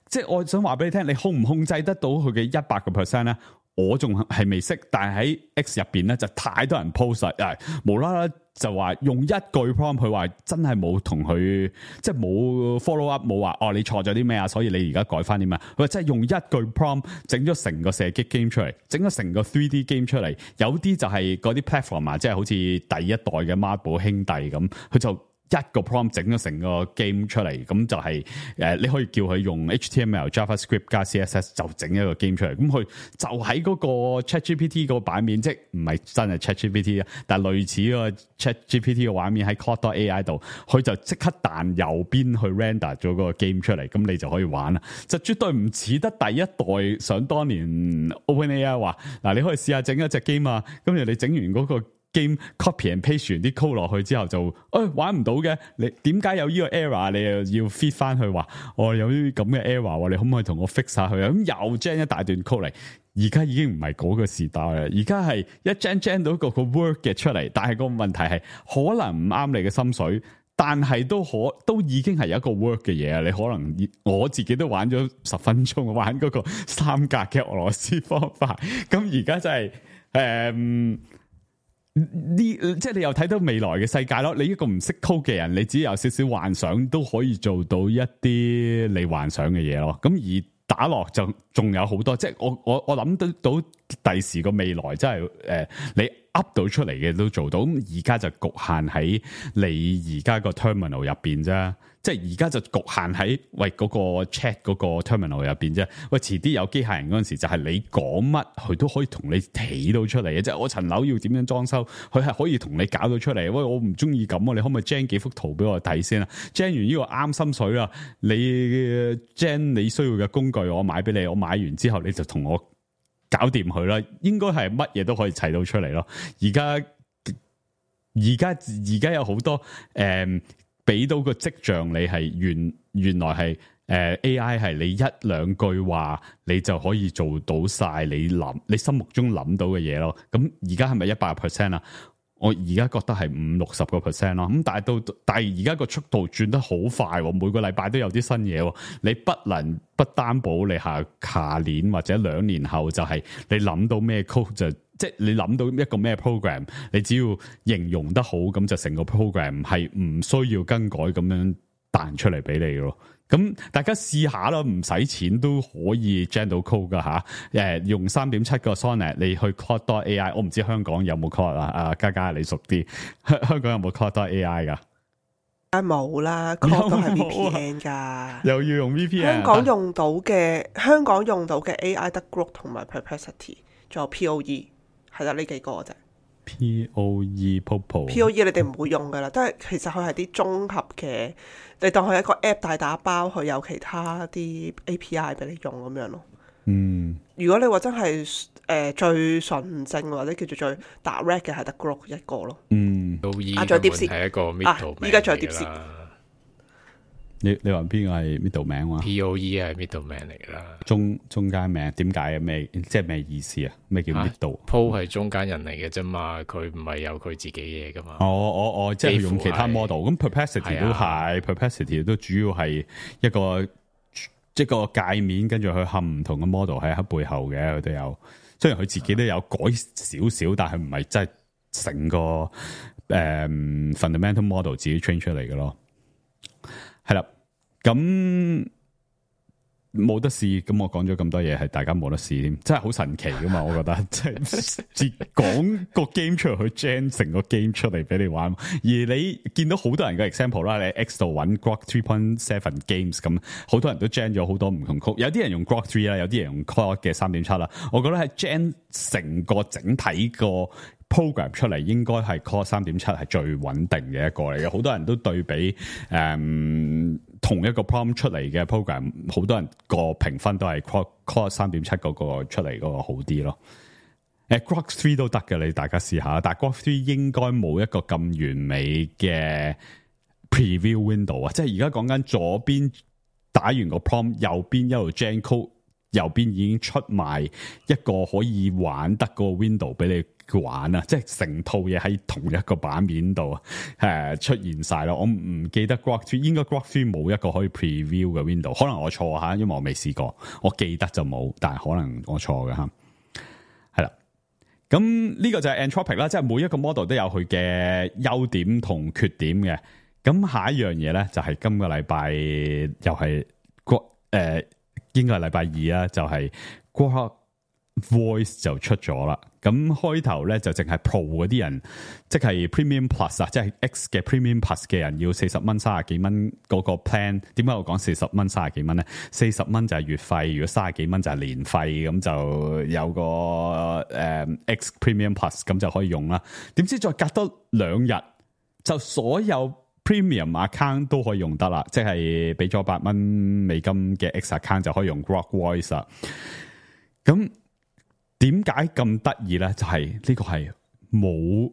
即係我想話俾你聽，你控唔控制得到佢嘅一百個 percent 咧？我仲係未識，但係喺 X 入邊咧就太多人 post 誒，無啦啦就話用一句 prompt， 佢話真係冇同佢即係冇 follow up， 冇話哦你錯咗啲咩啊，所以你而家改翻啲咩？佢話真係用一句 prompt 整咗成個射擊 game 出嚟，整咗成個 three D game 出嚟。有啲就係嗰啲 platform 啊，即係好似第一代嘅孖寶兄弟咁，佢就一個 prompt 整咗成個 game 出嚟，咁就係、是、誒，你可以叫佢用 H T M L、JavaScript 加 C S S 就整一個 game 出嚟。咁佢就喺嗰個 ChatGPT 個版面，即係唔係真係 ChatGPT 啊，但係類似個 ChatGPT 嘅畫面喺 Claude A I 度，佢就即刻彈右邊去 render 咗個 game 出嚟，咁你就可以玩啦。就絕對唔似得第一代想當年 OpenAI 話嗱，你可以試下整一隻 game 啊，跟住你整完嗰個 game copy and paste 完啲 code 落去之後就，誒、哎、玩唔到嘅，你點解有呢個 error？ 你又要 feed 翻去話，我有啲咁嘅 error， 你可唔可以同我 fix 下佢啊？咁又 gen 一大段 code 嚟，而家已經唔係嗰個時代啦，而家係一 gen gen 到個個 work 嘅出嚟，但係個問題係可能唔啱你嘅心水，但係都可都已經係有一個 work 嘅嘢啊！你可能我自己都玩咗十分鐘，玩嗰個三格嘅俄羅斯方法，咁而家真係誒。嗯呢即係你又睇到未來嘅世界咯，你一個唔識 code 嘅人，你只要有少少幻想都可以做到一啲你幻想嘅嘢咯。咁而打落就仲有好多，即係我我我諗得到第時個未來真係誒、呃，你 up 到出嚟嘅都做到。咁而家就局限喺你而家個 terminal 入邊啫。即係而家就局限喺喂嗰個 chat 嗰個 terminal 入邊啫。喂，遲啲有機械人嗰陣時，就係你講乜，佢都可以同你起到出嚟嘅。即係我層樓要點樣裝修，佢係可以同你搞到出嚟。喂，我唔中意咁啊，你可唔可以 gen 幾幅圖俾我睇先啊 ？gen 完呢個啱心水啦，你 gen 你需要嘅工具，我買俾你，我買完之後你就同我搞掂佢啦。應該係乜嘢都可以砌到出嚟咯。而家而家而家有好多誒。嗯俾到個跡象你係原原來係誒、呃、A I 係你一兩句話你就可以做到晒你諗你心目中諗到嘅嘢咯。咁而家係咪一百 percent 啊？我而家覺得係五六十個 percent 咯。咁但係到但係而家個速度轉得好快，每個禮拜都有啲新嘢。你不能不擔保你下下年或者兩年後就係你諗到咩 code 就。即係你諗到一個咩 program， 你只要形容得好，咁就成個 program 係唔需要更改咁樣彈出嚟俾你咯。咁大家試下啦，唔使錢都可以 gen 到 code 噶吓。誒，用 三點七 個 Sonnet 你去 Claude A I， 我唔知香港有冇 Claude 啊？阿嘉嘉你熟啲，香港有冇 Claude A I 噶？梗係冇啦 ，Claude 都係 V P N 噶，又要用 V P N。香港用到嘅香港用到嘅 A I 得 Grok 同埋 Perplexity， 仲有 P O E， 係得呢幾個啫。P O E Popo P O E 你哋唔會用噶啦，都係其實佢係啲綜合嘅，你當佢一個 app 大打包，佢有其他啲 A P I 俾你用咁樣咯。嗯，如果你話真係誒、呃、最純正或者叫做最 direct 嘅係得 Grok 一個咯。嗯，到依啊，仲有 DeepSeek 係一個 middle 名依家仲有嚟㗎 DeepSeek 啦。你你話邊個係 middle 名話 P O E 係 middle 名嚟㗎啦。中中間名點解啊？咩即係咩意思啊？咩叫 middle？鋪係中間人嚟嘅啫嘛，佢唔係有佢自己嘢㗎嘛。哦哦哦，即係用其他 model。咁 Perplexity 都係 Perplexity 都主要係一個一個界面，跟住佢冚唔同嘅 model 喺喺背後嘅，佢都有。雖然佢自己都有改少少，但係唔係真係成個誒、um, fundamental model 自己 train 出嚟嘅咯。係啦，咁冇得試，咁我講咗咁多嘢，係大家冇得試添，真係好神奇噶嘛！我覺得，即係講個 game 出嚟，去 gen 成個 game 出嚟俾你玩。而你見到好多人嘅 example 啦，你 X 度揾 Grok three point seven games 咁，好多人都 gen 咗好多唔同 code，有啲人用 Grok three 啦，有啲人用 Claude 嘅三點七啦。我覺得係 gen 成個整體個 program 出嚟，應該係 Claude 三點七係最穩定嘅一個嚟嘅。好多人都對比誒、嗯、同一個 prompt 出嚟嘅 program， 好多人個評分都係 Claude Claude 三點七嗰個出嚟嗰個好啲咯。誒 Grok three 都得嘅，你大家試下。但係 Grok three 應該冇一個咁完美嘅 preview window 啊，即係而家講緊左邊打完個 prompt， 右邊一路 gen code， 右邊已經出埋一個可以玩得個 window 俾你玩啊！即係成套嘢喺同一個版面度誒出現晒咯。我唔記得 Grok three 應該 Grok three 冇一個可以 preview 嘅 window， 可能我錯吓，因為我未試過。我記得就冇，但係可能我錯嘅吓。係啦，咁呢個就係 Anthropic 啦，即係每一個 model 都有佢嘅優點同缺點嘅。咁下一樣嘢咧就係、是、今個禮拜又係 Grok 誒，應該係禮拜二啦，就係 Grok Voice 就出咗啦。咁開頭咧就淨係 Pro 嗰啲人，即係 Premium Plus 啊，即係 X 嘅 Premium Plus 嘅人要四十蚊、三十幾蚊嗰個 plan。點解我講四十蚊、三十幾蚊咧？四十蚊就係月費，如果三十幾蚊就係年費，咁就有個誒、嗯、X Premium Plus 咁就可以用啦。點知再隔多兩日，就所有 Premium account 都可以用得啦，即係俾咗八蚊美金嘅 X account 就可以用 Grok Voice 啦。咁點解咁得意咧？就係、是、呢個係冇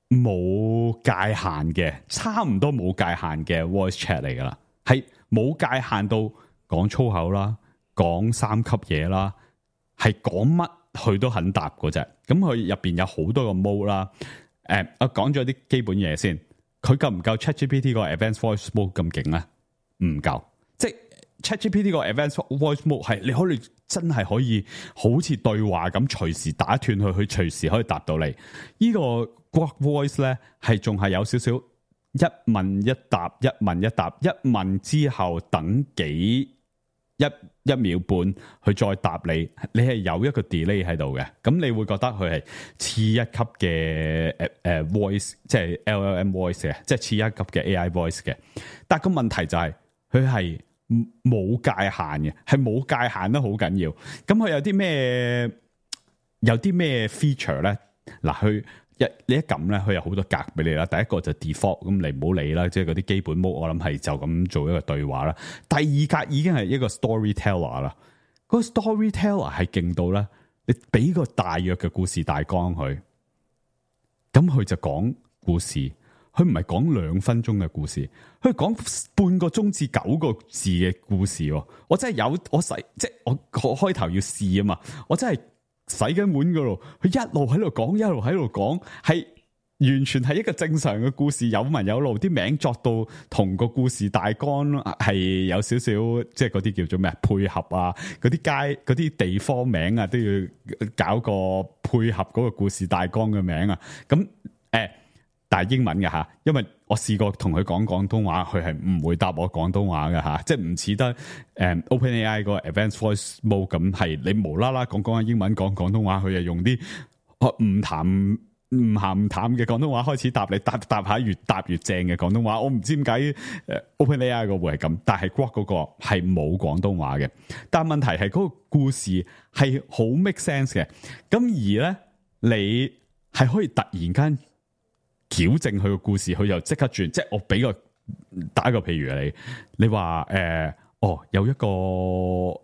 冇界限嘅，差唔多冇界限嘅 voice chat 嚟噶啦，係冇界限到講粗口啦，講三級嘢啦，係講乜佢都肯答嗰隻。咁佢入邊有好多個 mode 啦。誒、呃，我講咗啲基本嘢先，佢夠唔夠 ChatGPT 個 Advanced Voice Mode 咁勁咧？唔夠，即係 ChatGPT 個 Advanced Voice Mode 係你可以真係可以好似對話咁，隨時打斷佢，佢隨時可以答到你。呢個 Grok Voice 咧係仲係有少少一問一答，一問一答，一問之後等幾一一秒半，佢再答你，你係有一個 delay 喺度嘅。咁你會覺得佢係次一級嘅誒誒 voice，即係 L L M voice 嘅，即係次一級嘅 A I voice 嘅。但係個問題就係佢係冇界限嘅，係冇界限得好緊要。咁佢有啲咩有啲咩 feature 咧？嗱，佢一你一撳咧，佢有好多格俾你啦。第一個就 default，咁你唔好理啦，即係嗰啲基本 mode，我諗係就咁做一個對話啦。第二格已經係一個 storyteller 啦。嗰個 storyteller 係勁到咧，你俾個大約嘅故事大綱佢，咁佢就講故事。佢唔係講兩分鐘嘅故事，佢講半個鐘至九個字嘅故事。我真係有我洗，即係我我開頭要試啊嘛，我真係洗緊碗嗰度，佢一路喺度講，一路喺度講，係完全係一個正常嘅故事，有文有路，啲名作到同個故事大綱係有少少，即係嗰啲叫做咩配合啊，嗰啲街嗰啲地方名啊，都要搞個配合嗰個故事大綱嘅名啊，咁誒。欸但係英文嘅吓，因為我試過同佢講廣東話，佢係唔會答我廣東話嘅吓，即係唔似得誒、嗯、OpenAI 個 Advanced Voice Mode 咁，係你無啦啦講講下英文講廣東話，佢就用啲唔談唔鹹唔淡嘅廣東話開始答你，答答下越答越正嘅廣東話。我唔知點解誒 OpenAI 個會係咁，但係 Grok 嗰個係冇廣東話嘅。但係問題係嗰個故事係好 make sense 嘅，咁而咧你係可以突然間矯正佢個故事，佢又即刻轉。即係我俾個打個譬如你，你話誒、呃、哦有一個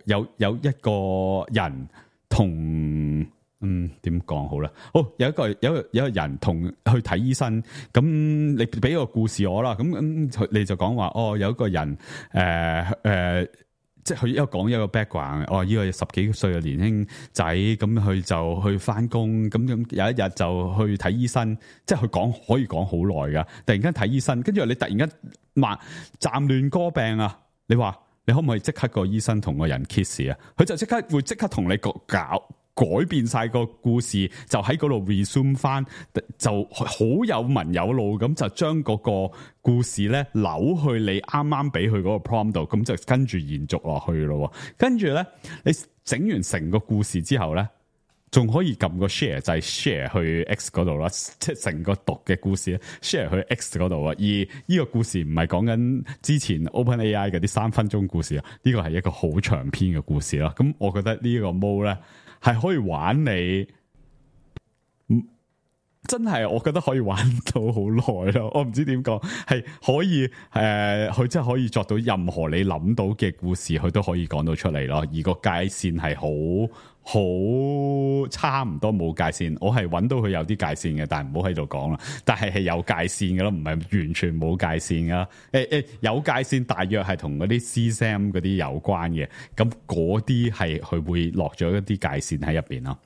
有有一個人同。嗯，點講好啦？好，有一個有一個有一個人同去睇醫生，咁你俾個故事我啦，咁咁你就講話哦，有一個人誒誒、呃呃，即係佢一講一個 background，哦，呢、這個十幾歲嘅年輕仔，咁佢就去翻工，咁咁有一日就去睇醫生，即係佢講可以講好耐噶，突然間睇醫生，跟住你突然間話暫亂歌病啊，你話你可唔可以即刻個醫生同個人 kiss 啊？佢就即刻會即刻同你個搞。改變晒個故事，就喺嗰度 resume 翻，就好有文有路咁，就將嗰個故事咧扭去你啱啱俾佢嗰個 prompt 度，咁就跟住延續落去咯。跟住咧，你整完成個故事之後咧，仲可以撳個 share 就係 share 去 X 嗰度啦，即係成個讀嘅故事 share 去 X 嗰度啊。而呢個故事唔係講緊之前 OpenAI 嗰啲三分鐘故事啊，呢個係一個好長篇嘅故事啦。咁我覺得呢個 mode 咧。係可以玩你，真係我覺得可以玩到好耐咯。我唔知點講，係可以誒，佢、呃、真係可以作到任何你諗到嘅故事，佢都可以講到出嚟咯。而個界線係好好差唔多冇界線，我係揾到佢有啲界線嘅，但係唔好喺度講啦。但係係有界線嘅咯，唔係完全冇界線噶。誒、欸、誒、欸，有界線大約係同嗰啲 C S A M 嗰啲有關嘅，咁嗰啲係佢會落咗一啲界線喺入邊咯。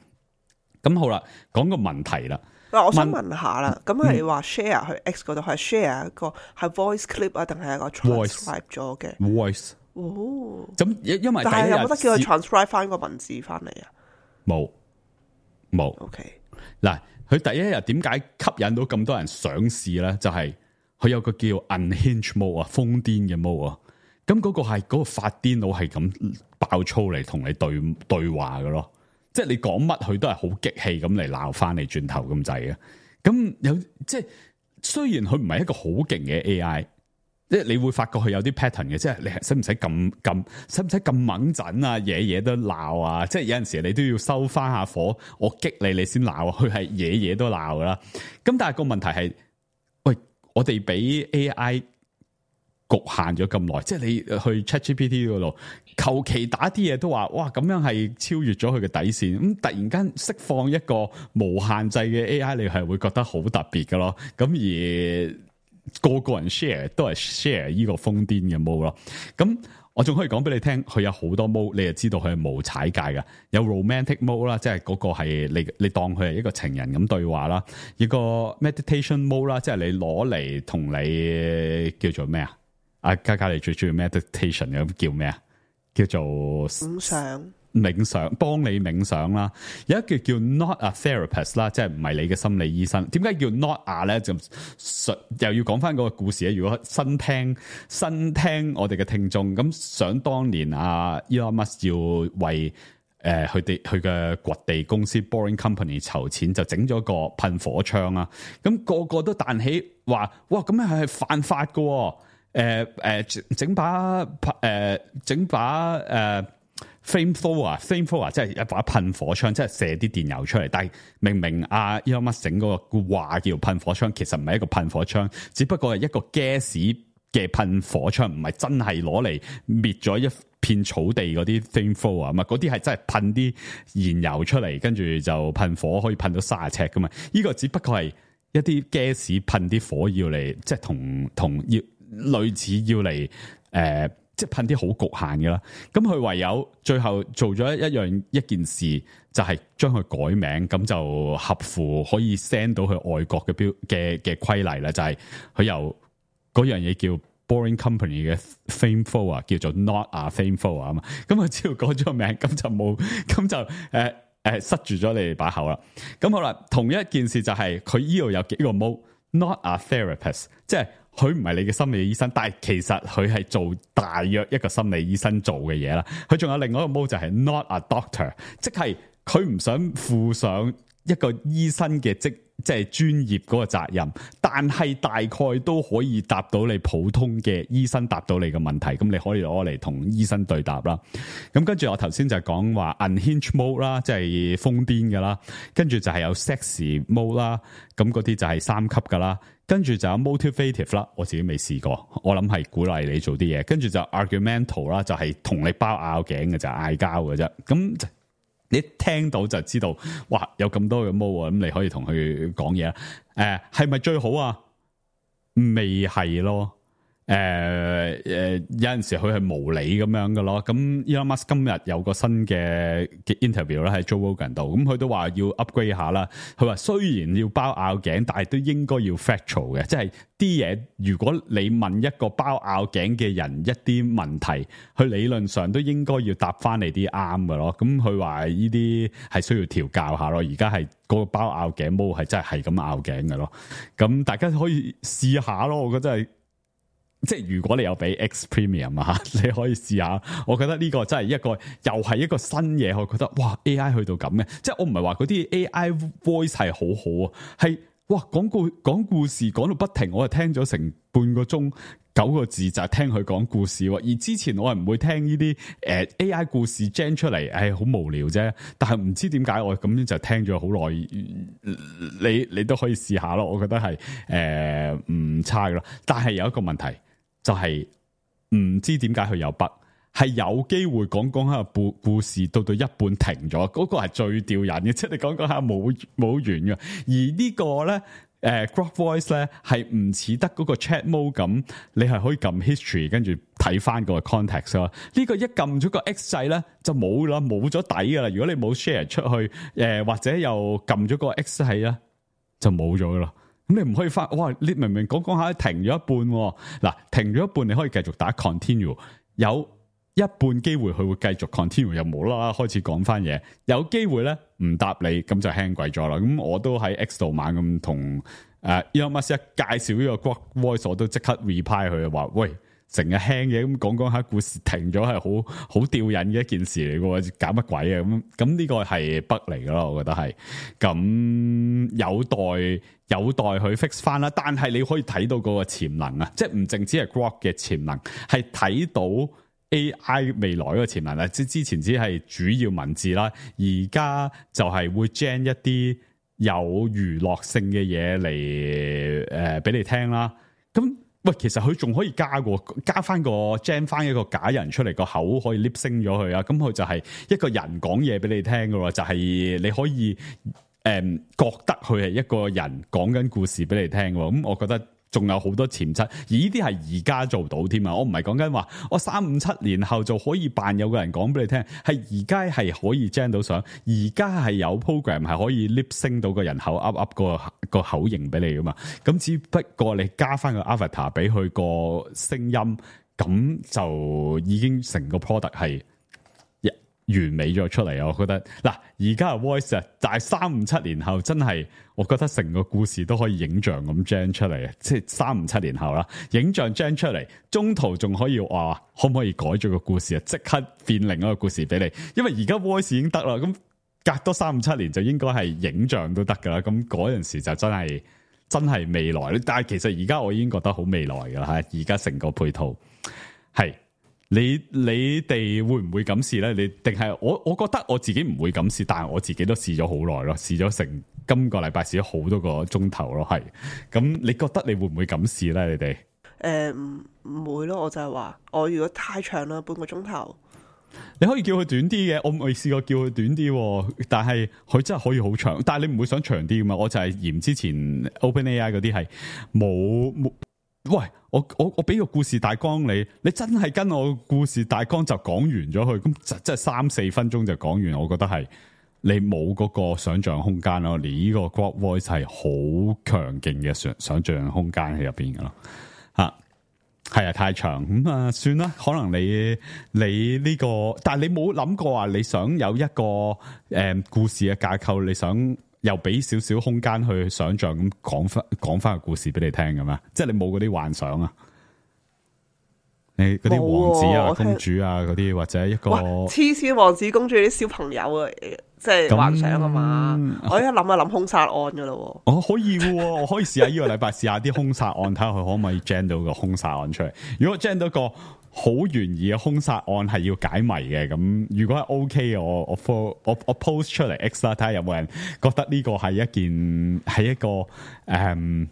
咁好啦，講個問題啦。嗱，我想問下啦，咁係話 share 去 X 嗰度係 share 一個係 voice clip 啊，定係一個 transcribe 咗嘅 voice？ 哦，咁因為但係有冇得叫佢 transcribe 翻個文字翻嚟啊？冇，冇。OK，嗱，佢第一日點解吸引到咁多人上試咧？就係、是、佢有個叫 unhinged mode 啊，瘋癲嘅 mode 啊。咁嗰個係嗰、嗰個發癲佬係咁爆粗嚟同你對對話嘅咯。即係你講乜佢都係好激氣咁嚟鬧翻你轉頭咁滯嘅，咁有即係雖然佢唔係一個好勁嘅 A I， 即係你會發覺佢有啲 pattern 嘅，即係你使唔使咁咁使唔使咁猛陣啊？嘢嘢都鬧啊！即係有陣時你都要收翻下火，我激你你先鬧啊！佢係嘢嘢都鬧噶啦。咁但係個問題係，喂，我哋俾 A I 局限咗咁耐，即係你去 ChatGPT 嗰度，求其打啲嘢都話，哇咁樣係超越咗佢嘅底線。咁突然間釋放一個無限制嘅 A I， 你係會覺得好特別㗎咯。咁而個個人 share 都係 share 呢個瘋癲嘅 mode 咯。咁我仲可以講俾你聽，佢有好多 mode，你就知道佢係無踩界嘅。有 romantic mode 啦，即係嗰個係你你當佢係一個情人咁對話啦。一個 meditation mode 啦，即係你攞嚟同你叫做咩啊？阿嘉嘉你最中意 meditation 咁叫咩啊？叫做冥想，冥想幫你冥想啦。有一個叫 not a therapist 啦，即係唔係你嘅心理醫生。點解叫 not a 咧？就又要講翻嗰個故事咧。如果新聽新聽我哋嘅聽眾，咁想當年阿 Elon Musk 要為誒佢哋佢嘅掘地公司 Boring Company 籌錢，就整咗個噴火槍啦。咁、那個個都彈起話：哇！咁樣係犯法㗎喎。誒誒整把誒整把誒 flamethrower，flamethrower 即係一把噴火槍，即係射啲電油出嚟。但係明明阿 Elon Musk 整嗰個話叫噴火槍，其實唔係一個噴火槍，只不過係一個 gas 嘅噴火槍，唔係真係攞嚟滅咗一片草地嗰啲 flamethrower 啊嘛。嗰啲係真係噴啲燃油出嚟，跟住就噴火，可以噴到三十尺噶嘛。呢、這個只不過係一啲 gas 噴啲火藥嚟，即係同同要。類似要嚟誒、呃，即係噴啲好局限嘅啦。咁佢唯有最後做咗一樣一件事，就係將佢改名，咁就合乎可以 send 到去外國嘅標嘅嘅規例啦。就係、是、佢由嗰樣嘢叫 Boring Company 嘅 flamethrower 叫做 Not a flamethrower 啊嘛。咁佢只要改咗個名，咁就冇，咁就誒誒、呃呃、塞住咗你哋把口啦。咁好啦，同一件事就係佢依度有幾個 mode。not a therapist， 即係佢唔係你嘅心理醫生，但係其實佢係做大約一個心理醫生做嘅嘢啦。佢仲有另外一個 mode 就係 not a doctor， 即係佢唔想負上一個醫生嘅職。即係專業嗰個責任，但係大概都可以答到你普通嘅醫生答到你嘅問題，咁你可以攞嚟同醫生對答啦。咁跟住我頭先就講話 unhinged mode 啦，即係瘋癲㗎啦，跟住就係有 sexy mode 啦，咁嗰啲就係三級㗎啦，跟住就有 motivative 啦，我自己未試過，我諗係鼓勵你做啲嘢，跟住就 argumental 啦，就係同你包拗頸嘅，就係嗌交嘅啫，咁。你聽到就知道，哇！有咁多嘅 mode，咁你可以同佢講嘢啦。誒、呃，係咪最好啊？未係咯。誒、呃、誒、呃，有陣時佢係無理咁樣嘅咯。咁 Elon Musk 今日有個新嘅嘅 interview 咧喺 Joe Rogan 度，咁佢都話要 upgrade 下啦。佢話雖然要包拗頸，但係都應該要 factual 嘅，即係啲嘢如果你問一個包拗頸嘅人一啲問題，佢理論上都應該要答翻你啲啱嘅咯。咁佢話呢啲係需要調教下咯。而家係嗰個包拗頸毛係真係係咁拗頸嘅咯。咁大家可以試下咯，我覺得係。即係如果你有俾 X Premium 啊，你可以試下。我覺得呢個真係一個又係一個新嘢，我覺得哇 A I 去到咁嘅，即係我唔係話嗰啲 A I voice 係好好啊，係哇講故講故事講到不停，我係聽咗成半個鐘九個字就係聽佢講故事。而之前我係唔會聽呢啲誒 A I 故事 gen 出嚟，誒好無聊啫。但係唔知點解我咁樣就聽咗好耐，你你都可以試下咯。我覺得係誒唔差噶咯，但係有一個問題。就係唔知點解佢有筆，係有機會講講下故故事到到一半停咗，嗰、那個係最吊人嘅，即係你講講下冇冇完嘅。而呢個咧，誒、呃、Grok Voice 咧係唔似得嗰個 Chat Mode 咁，你係可以撳 history 跟住睇翻個 context 咯。呢、這個一撳咗個 X 掣咧就冇啦，冇咗底噶啦。如果你冇 share 出去，誒、呃、或者又撳咗個 X 掣咧，就冇咗噶啦。咁你唔可以翻，哇！你明明講講下停咗一半，嗱停咗一半你可以繼續打 continue， 有一半機會佢會繼續 continue， 又冇啦啦開始講翻嘢，有機會咧唔答你，咁就輕鬼咗啦。咁我都喺 X 度猛咁同誒 Elon Musk 一介紹呢個 Grok Voice，我都即刻 reply 佢話，喂，成日輕嘢咁講講下故事停咗係好好吊癮嘅一件事嚟嘅，搞乜鬼啊？咁咁呢個係 bug 嚟噶咯，我覺得係咁有待。有待去 fix 翻啦，但係你可以睇到嗰個潛能啊，即係唔淨止係 Grok 嘅潛能，係睇到 A I 未來嗰個潛能啊！即之前只係主要文字啦，而家就係會 gen 一啲有娛樂性嘅嘢嚟誒俾你聽啦。咁喂，其實佢仲可以加個加翻個 gen 翻一個假人出嚟，個口可以 lip sync 咗佢啊！咁佢就係一個人講嘢俾你聽㗎喎，就係、是、你可以。誒、嗯，覺得佢係一個人講緊故事俾你聽，咁、嗯、我覺得仲有好多潛質，而呢啲係而家做到添啊！我唔係講緊話，我三五七年後就可以扮有個人講俾你聽，係而家係可以 gen 到相，而家係有 program 係可以 lip sync 到個人口噏噏個個口型俾你噶嘛，咁只不過你加翻個 avatar 俾佢個聲音，咁就已經成個 product 係完美咗出嚟啊！我覺得嗱，而家嘅 voice 啊，但係三五七年後真係，我覺得成個故事都可以影像咁 gen 出嚟啊！即係三五七年後啦，影像 gen 出嚟，中途仲可以話可唔可以改咗個故事啊？即刻變另一個故事俾你，因為而家 voice 已經得啦，咁隔多三五七年就應該係影像都得噶啦，咁嗰陣時就真係真係未來。但係其實而家我已經覺得好未來噶啦吓，而家成個配套係。你你哋會唔會咁試咧？你定係我？我覺得我自己唔會咁試，但係我自己都試咗好耐咯，試咗成今個禮拜試咗好多個鐘頭咯，係。咁你覺得你會唔會咁試咧？你哋？誒唔唔會咯，我就係話我如果太長啦，半個鐘頭，你可以叫佢短啲嘅，我未試過叫佢短啲，但係佢真係可以好長，但係你唔會想長啲噶嘛？我就係嫌之前 OpenAI 嗰啲係冇冇。喂，我我我俾個故事大綱你，你真係跟我故事大綱就講完咗佢，咁就即係三四分鐘就講完，我覺得係你冇嗰個想象空間咯。你呢個 Grok Voice 係好強勁嘅想想象空間喺入邊噶咯，吓係啊，太長咁啊、嗯，算啦。可能你你呢、這個，但係你冇諗過話你想有一個誒、嗯、故事嘅架構，你想。又俾少少空間去想像咁講翻講翻個故事俾你聽㗎嘛？即係你冇嗰啲幻想啊？你嗰啲王子啊、公主啊嗰啲，或者一個黐線王子公主啲小朋友啊，即係幻想啊嘛！我一諗就諗兇殺案噶咯。哦，可以嘅，我可以試下呢個禮拜試下啲兇殺案，睇下佢可唔可以 gen 到個兇殺案出嚟。如果 gen 到個好懸疑嘅兇殺案係要解謎嘅，咁如果係 OK 嘅，我我 po 我我 post 出嚟 X 啦，睇下有冇人覺得呢個係一件係一個誒係、嗯、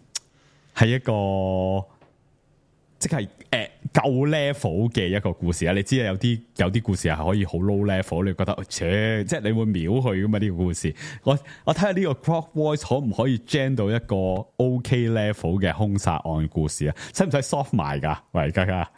一個。即係誒夠 level 嘅一個故事啊！你知啊，有啲有啲故事係可以好 low level，你覺得，切，即係你會秒佢噶嘛？呢個故事，我我睇下呢個 Grok Voice 可唔可以 gen 到一個 OK level 嘅兇殺案故事啊？使唔使 soft 埋噶？喂，家家，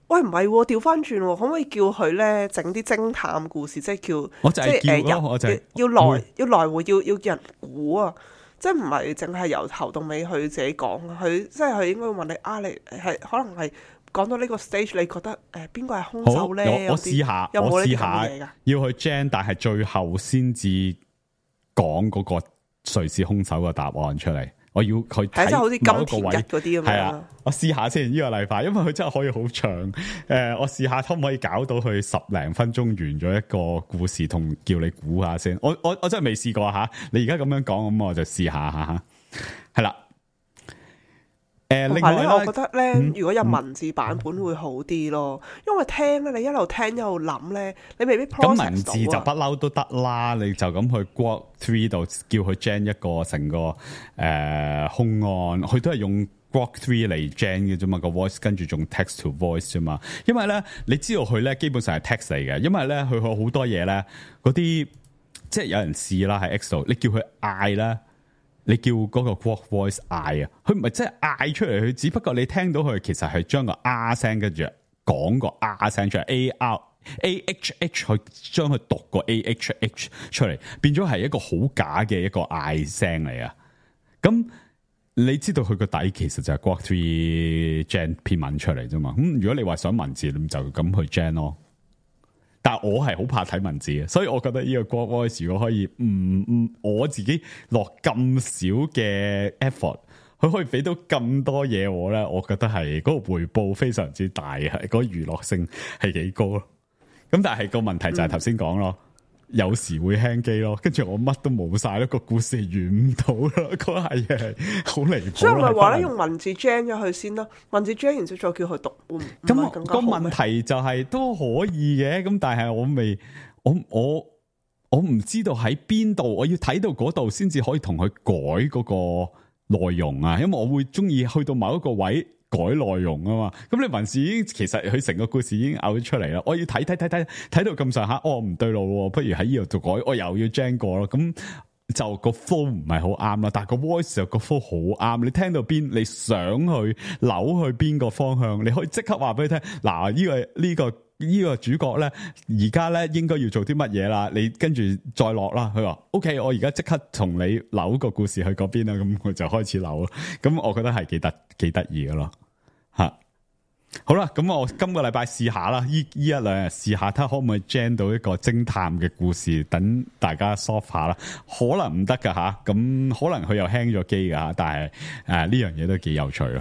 喂，唔係調翻轉，可唔可以叫佢咧整啲偵探故事？即係叫，我就係叫咯，呃、我就係要來要來回要要叫人估啊！即係唔係淨係由頭到尾佢自己講，佢即係佢應該會問你啊，你係可能係講到呢個 stage，你覺得誒邊個係兇手咧？我我試下，有冇呢啲咁我試下嘅嘢㗎？要去 gen，但係最後先至講嗰個誰是兇手嘅答案出嚟。我要佢睇即係好似某一個金田位一嗰啲咁樣。係啊，我試下先呢個禮拜，因為佢真係可以好長。誒、呃，我試下可唔可以搞到佢十零分鐘完咗一個故事，同叫你估下先。我我我真係未試過吓。你而家咁樣講，咁我就試下吓。係啦。誒，另外咧，我覺得咧，嗯、如果有文字版本會好啲咯，嗯、因為聽咧，你一路聽一路諗咧，你未必 process 到啊。咁文字就不嬲都得啦，你就咁去 Grok three 度叫佢 gen 一個成個誒、呃、兇案，佢都係用 Grok three 嚟 gen 嘅啫嘛，個 voice 跟住仲 text to voice 啫嘛。因為咧，你知道佢咧基本上係 text 嚟嘅，因為咧佢好多嘢咧，嗰啲即係有人試啦喺 X 度，你叫佢嗌啦。你叫嗰個 Grok Voice 嗌啊，佢唔係真係嗌出嚟，佢只不過你聽到佢其實係將個 R 聲跟住講個 R 聲出嚟 ，A R A H H 去將佢讀個 A H H 出嚟，變咗係一個好假嘅一個嗌聲嚟啊！咁你知道佢個底其實就係 Grok three gen 篇文出嚟啫嘛？咁如果你話想文字，你就咁去 gen 咯。但係我係好怕睇文字嘅，所以我覺得呢個 Grok Voice 如果可以唔唔我自己落咁少嘅 effort，佢可以俾到咁多嘢我咧，我覺得係嗰個回報非常之大嘅，嗰個娛樂性係幾高咯。咁但係個問題就係頭先講咯。嗯有時會輕機咯，跟住我乜都冇晒咯，個故事完唔到咯，嗰下嘢係好離譜。所以咪話咧，用文字 gen 咗佢先咯，文字 gen 完之後再叫佢讀，咁咁個問題就係、是、都可以嘅，咁但係我未，我我我唔知道喺邊度，我要睇到嗰度先至可以同佢改嗰個內容啊，因為我會中意去到某一個位。改內容啊嘛，咁你文字已經其實佢成個故事已經嘔咗出嚟啦。我要睇睇睇睇睇到咁上下，哦唔對路，不如喺呢度做改，我又要 gen 過咯。咁就個 flow 唔係好啱啦，但係個 voice 就個 flow 好啱。你聽到邊，你想去扭去邊個方向，你可以即刻話俾佢聽。嗱，呢個呢個呢個主角咧，而家咧應該要做啲乜嘢啦？你跟住再落啦。佢話 OK，我而家即刻同你扭個故事去嗰邊啦。咁佢就開始扭咯。咁我覺得係幾得幾得意噶咯。吓，好啦，咁我今個禮拜試下啦，呢呢一兩日試下，睇下可唔可以 gen 到一個偵探嘅故事，等大家 soft 下啦。可能唔得噶吓，咁可能佢又輕咗機噶吓，但係誒呢樣嘢都幾有趣咯。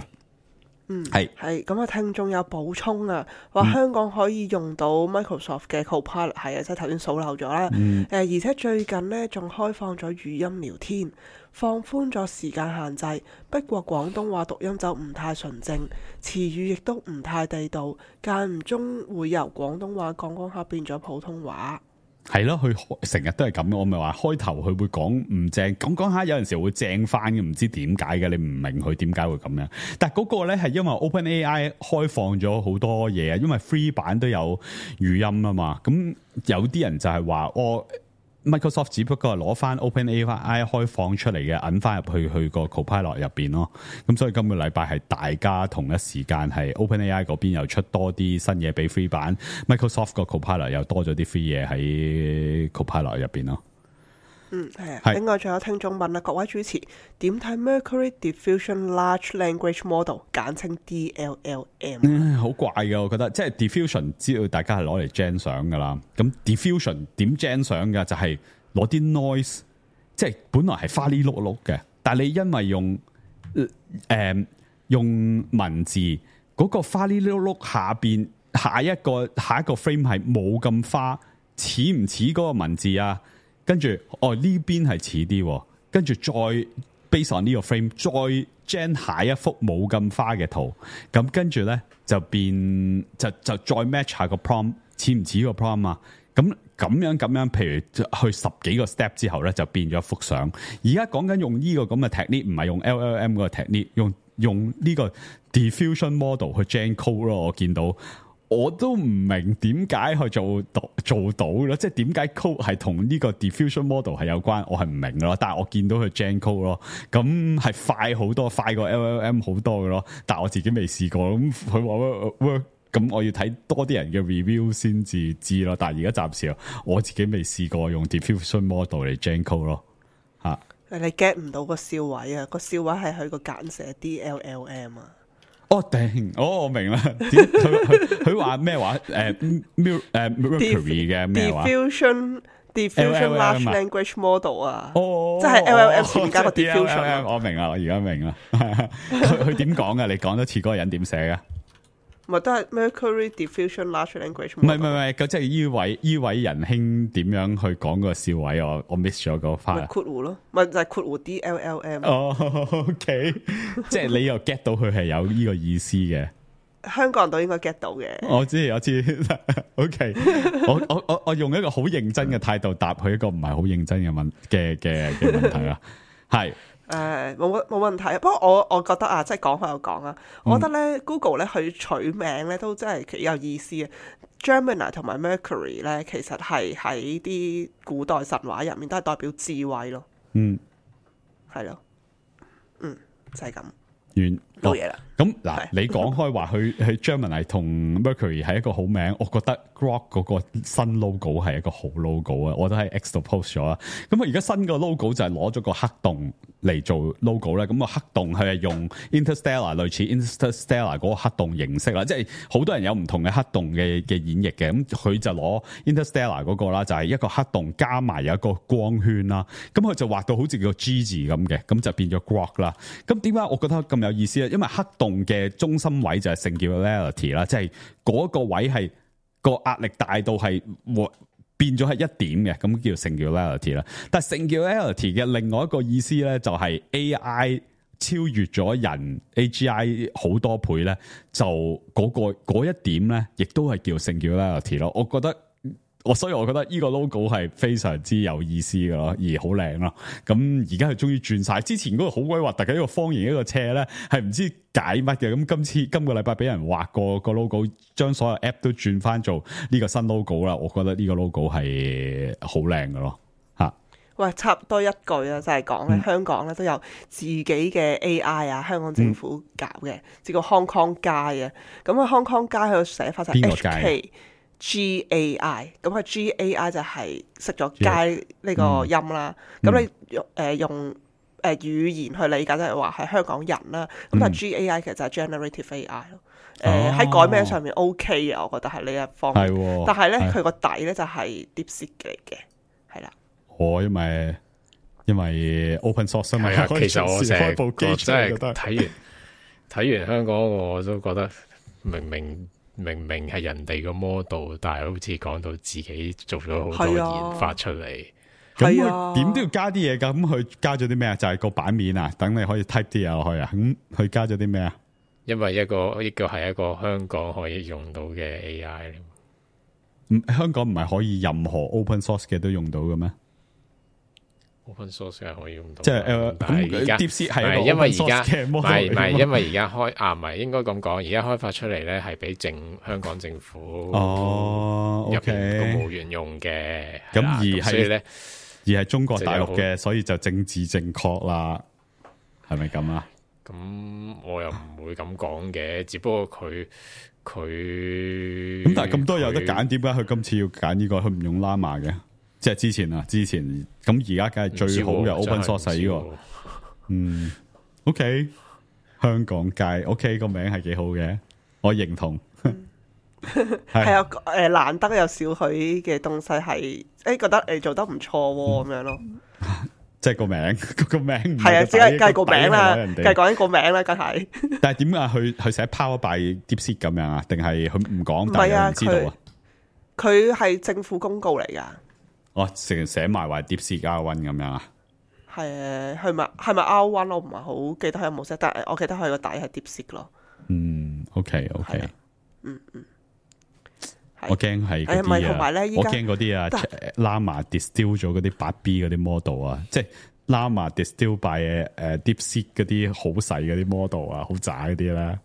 嗯，係係咁啊！聽眾有補充啊，話香港可以用到 Microsoft 嘅 Copilot，係啊，即係頭先數漏咗啦。誒、嗯，而且最近呢，仲開放咗語音聊天，放寬咗時間限制。不過廣東話讀音就唔太純正，詞語亦都唔太地道，間唔中會由廣東話講講下變咗普通話。係咯，佢成日都係咁。我咪話開頭佢會講唔正，講講下有陣時會正翻嘅，唔知點解嘅，你唔明佢點解會咁樣。但係嗰個咧係因為 OpenAI 開放咗好多嘢啊，因為 free 版都有語音啊嘛。咁有啲人就係話我。Microsoft 只不過係攞翻 OpenAI 開放出嚟嘅，揞翻入去去個 Copilot 入邊咯。咁所以今個禮拜係大家同一時間係 OpenAI 嗰邊又出多啲新嘢俾 free 版 ，Microsoft 個 Copilot 又多咗啲 free 嘢喺 Copilot 入邊咯。嗯，係啊。另外仲有聽眾問啦，各位主持點睇 Mercury Diffusion Large Language Model， 簡稱 D L L M？嗯，好怪嘅，我覺得即係 diffusion，知道大家係攞嚟 gen 相噶啦。咁 diffusion 點 gen 相嘅就係攞啲 noise 即係本來係花哩碌碌嘅，但係你因為用誒、呃、用文字嗰、那個花哩碌碌下邊下一個下一個 frame 係冇咁花，似唔似嗰個文字啊？跟住哦呢邊係似啲，跟住再 base on 呢個 frame 再 gen 下一幅冇咁花嘅圖，咁跟住咧就變就就再 match 下個 prompt 似唔似個 prompt 啊？咁咁樣咁樣，譬如去十幾個 step 之後咧，就變咗幅相。而家講緊用呢個咁嘅 technique，唔係用 L L M 嗰個 technique，用用呢個 diffusion model 去 gen code 咯。我見到我都唔明點解去做到做到咯，即係點解 code 係同呢個 diffusion model 係有關，我係唔明咯。但係我見到佢 gen code 咯，咁係快好多，快過 L L M 好多嘅咯。但係我自己未試過，咁佢話 work。咁我要睇多啲人嘅 review 先至知咯，但係而家暫時我自己未試過用 diffusion model 嚟 gen code 咯，吓。你 get 唔到個笑位啊？個笑位係佢個簡寫 D L L M 啊。哦頂，哦我明啦。佢佢佢話咩話？誒 Mer 誒 Mercury 嘅咩話 ？diffusion diffusion large language model 啊。哦，即係 L L M 前面加個 diffusion。我明啦，我而家明啦。佢佢點講噶？你講多次嗰個人點寫嘅？咪都係 Mercury diffusion large language。唔係唔係唔係，咁即係依位依位仁兄點樣去講個笑位？我我 miss 咗嗰 part。咪括弧咯，咪就係括弧 D L L M。哦，OK， 即係你又 get 到佢係有呢個意思嘅。香港人都應該 get 到嘅。我知我知，OK 我。我我我我用一個好認真嘅態度答佢一個唔係好認真嘅問嘅嘅嘅問題啦，係。誒冇冇問題，不過我我覺得啊，即係講開又講啊，我覺得咧 Google 咧佢取名咧都真係幾有意思嘅。Gemini 同埋 Mercury 咧，其實係喺啲古代神話入面都係代表智慧咯。嗯，係咯，嗯，就係、是、咁。完冇嘢啦。咁嗱，你講開話佢佢 Gemini 同 Mercury 係一個好名，我覺得 Grok 嗰個新 logo 係一個好 logo 啊，我都喺 X 度 post 咗啦。咁啊，而家新個 logo 就係攞咗個黑洞嚟做 logo 咧。咁個黑洞佢係用 Interstellar 類似 Interstellar 嗰個黑洞形式啦，即係好多人有唔同嘅黑洞嘅嘅演繹嘅。咁佢就攞 Interstellar 嗰個啦，就係一個黑洞加埋有一個光圈啦。咁佢就畫到好似個 G 字咁嘅，咁就變咗 Grok 啦。咁點解我覺得咁有意思咧？因為黑洞嘅中心位就係 singularity 啦，即係嗰個位係個壓力大到係變咗係一點嘅，咁叫 singularity 啦。但係 singularity 嘅另外一個意思咧，就係 A I 超越咗人 A G I 好多倍咧，就嗰、嗰個嗰一點咧，亦都係叫 singularity 咯。我覺得。我所以我覺得呢個 logo 係非常之有意思嘅咯，而好靚咯。咁而家佢終於轉晒，之前嗰個好鬼核突嘅一個方形一個斜咧，係唔知解乜嘅。咁今次今個禮拜俾人畫過個 logo，將所有 app 都轉翻做呢個新 logo 啦。我覺得呢個 logo 係好靚嘅咯，吓。喂，差唔多一句啊，就係講咧，香港咧都有自己嘅 A I 啊，香港政府搞嘅，叫做 Hong Kong 街啊。咁啊 Hong Kong 街佢個寫法就係 H K G A I， 咁佢 G A I 就係識咗街呢個音啦。咁、嗯、你用誒、呃、用誒語言去理解，就係話係香港人啦。咁、嗯、但係 G A I 其實就係 Generative A I 咯。誒喺改名上面 OK 嘅，我覺得係呢一方面。哦、但係咧佢個底咧就係 DeepSeek 嚟嘅，係啦。我因為因為 Open Source 嘛，其實我成日真係睇完睇完香港，我都覺得明明。明明係人哋個 model， 但係好似講到自己做咗好多研發出嚟，咁佢點都要加啲嘢噶。咁佢加咗啲咩啊？就係、是、個版面啊，等你可以 type 啲嘢落去啊。咁佢加咗啲咩啊？因為一個一個係一個香港可以用到嘅 A I。唔，香港唔係可以任何 open source 嘅都用到嘅咩？ open source 係可以用到，即係誒，咁而家 DeepSeek 係因為而家唔係唔係，因為而家開啊，唔係應該咁講，而家開發出嚟咧係俾政香港政府哦入邊公務員用嘅，咁而係所以咧而係中國大陸嘅，所以就政治正確啦，係咪咁啊？咁我又唔會咁講嘅，只不過佢佢咁，但係咁多有得揀，點解佢今次要揀呢個？佢唔用 Llama 嘅？即係之前啊，之前咁而家梗係最好嘅 open source 呢個，嗯 ，OK， 香港界 OK 個名係幾好嘅，我認同。係啊，誒難得有少許嘅東西係，誒覺得誒做得唔錯咁樣咯。即係個名，個名唔係啊，只係計個名啦，人哋計講緊個名啦，梗係。但係點解佢佢寫 Power by DeepSeek 咁樣啊？定係佢唔講，唔但係有係啊，人知道啊？佢係政府公告嚟噶。哦，成日寫埋話 DeepSeek R one 咁樣啊？係係咪係咪 R one？我唔係好記得佢有冇寫，但係我記得佢個底係 DeepSeek 咯。嗯 ，OK OK，係啊嗯嗯。我驚係嗰誒唔係啲啊同埋咧，依我家驚嗰啲啊但，Llama distill 咗嗰啲八 B 嗰啲 model 啊，即係 Llama distill by 誒 DeepSeek 嗰啲好細嗰啲 model 啊，好渣嗰啲啦。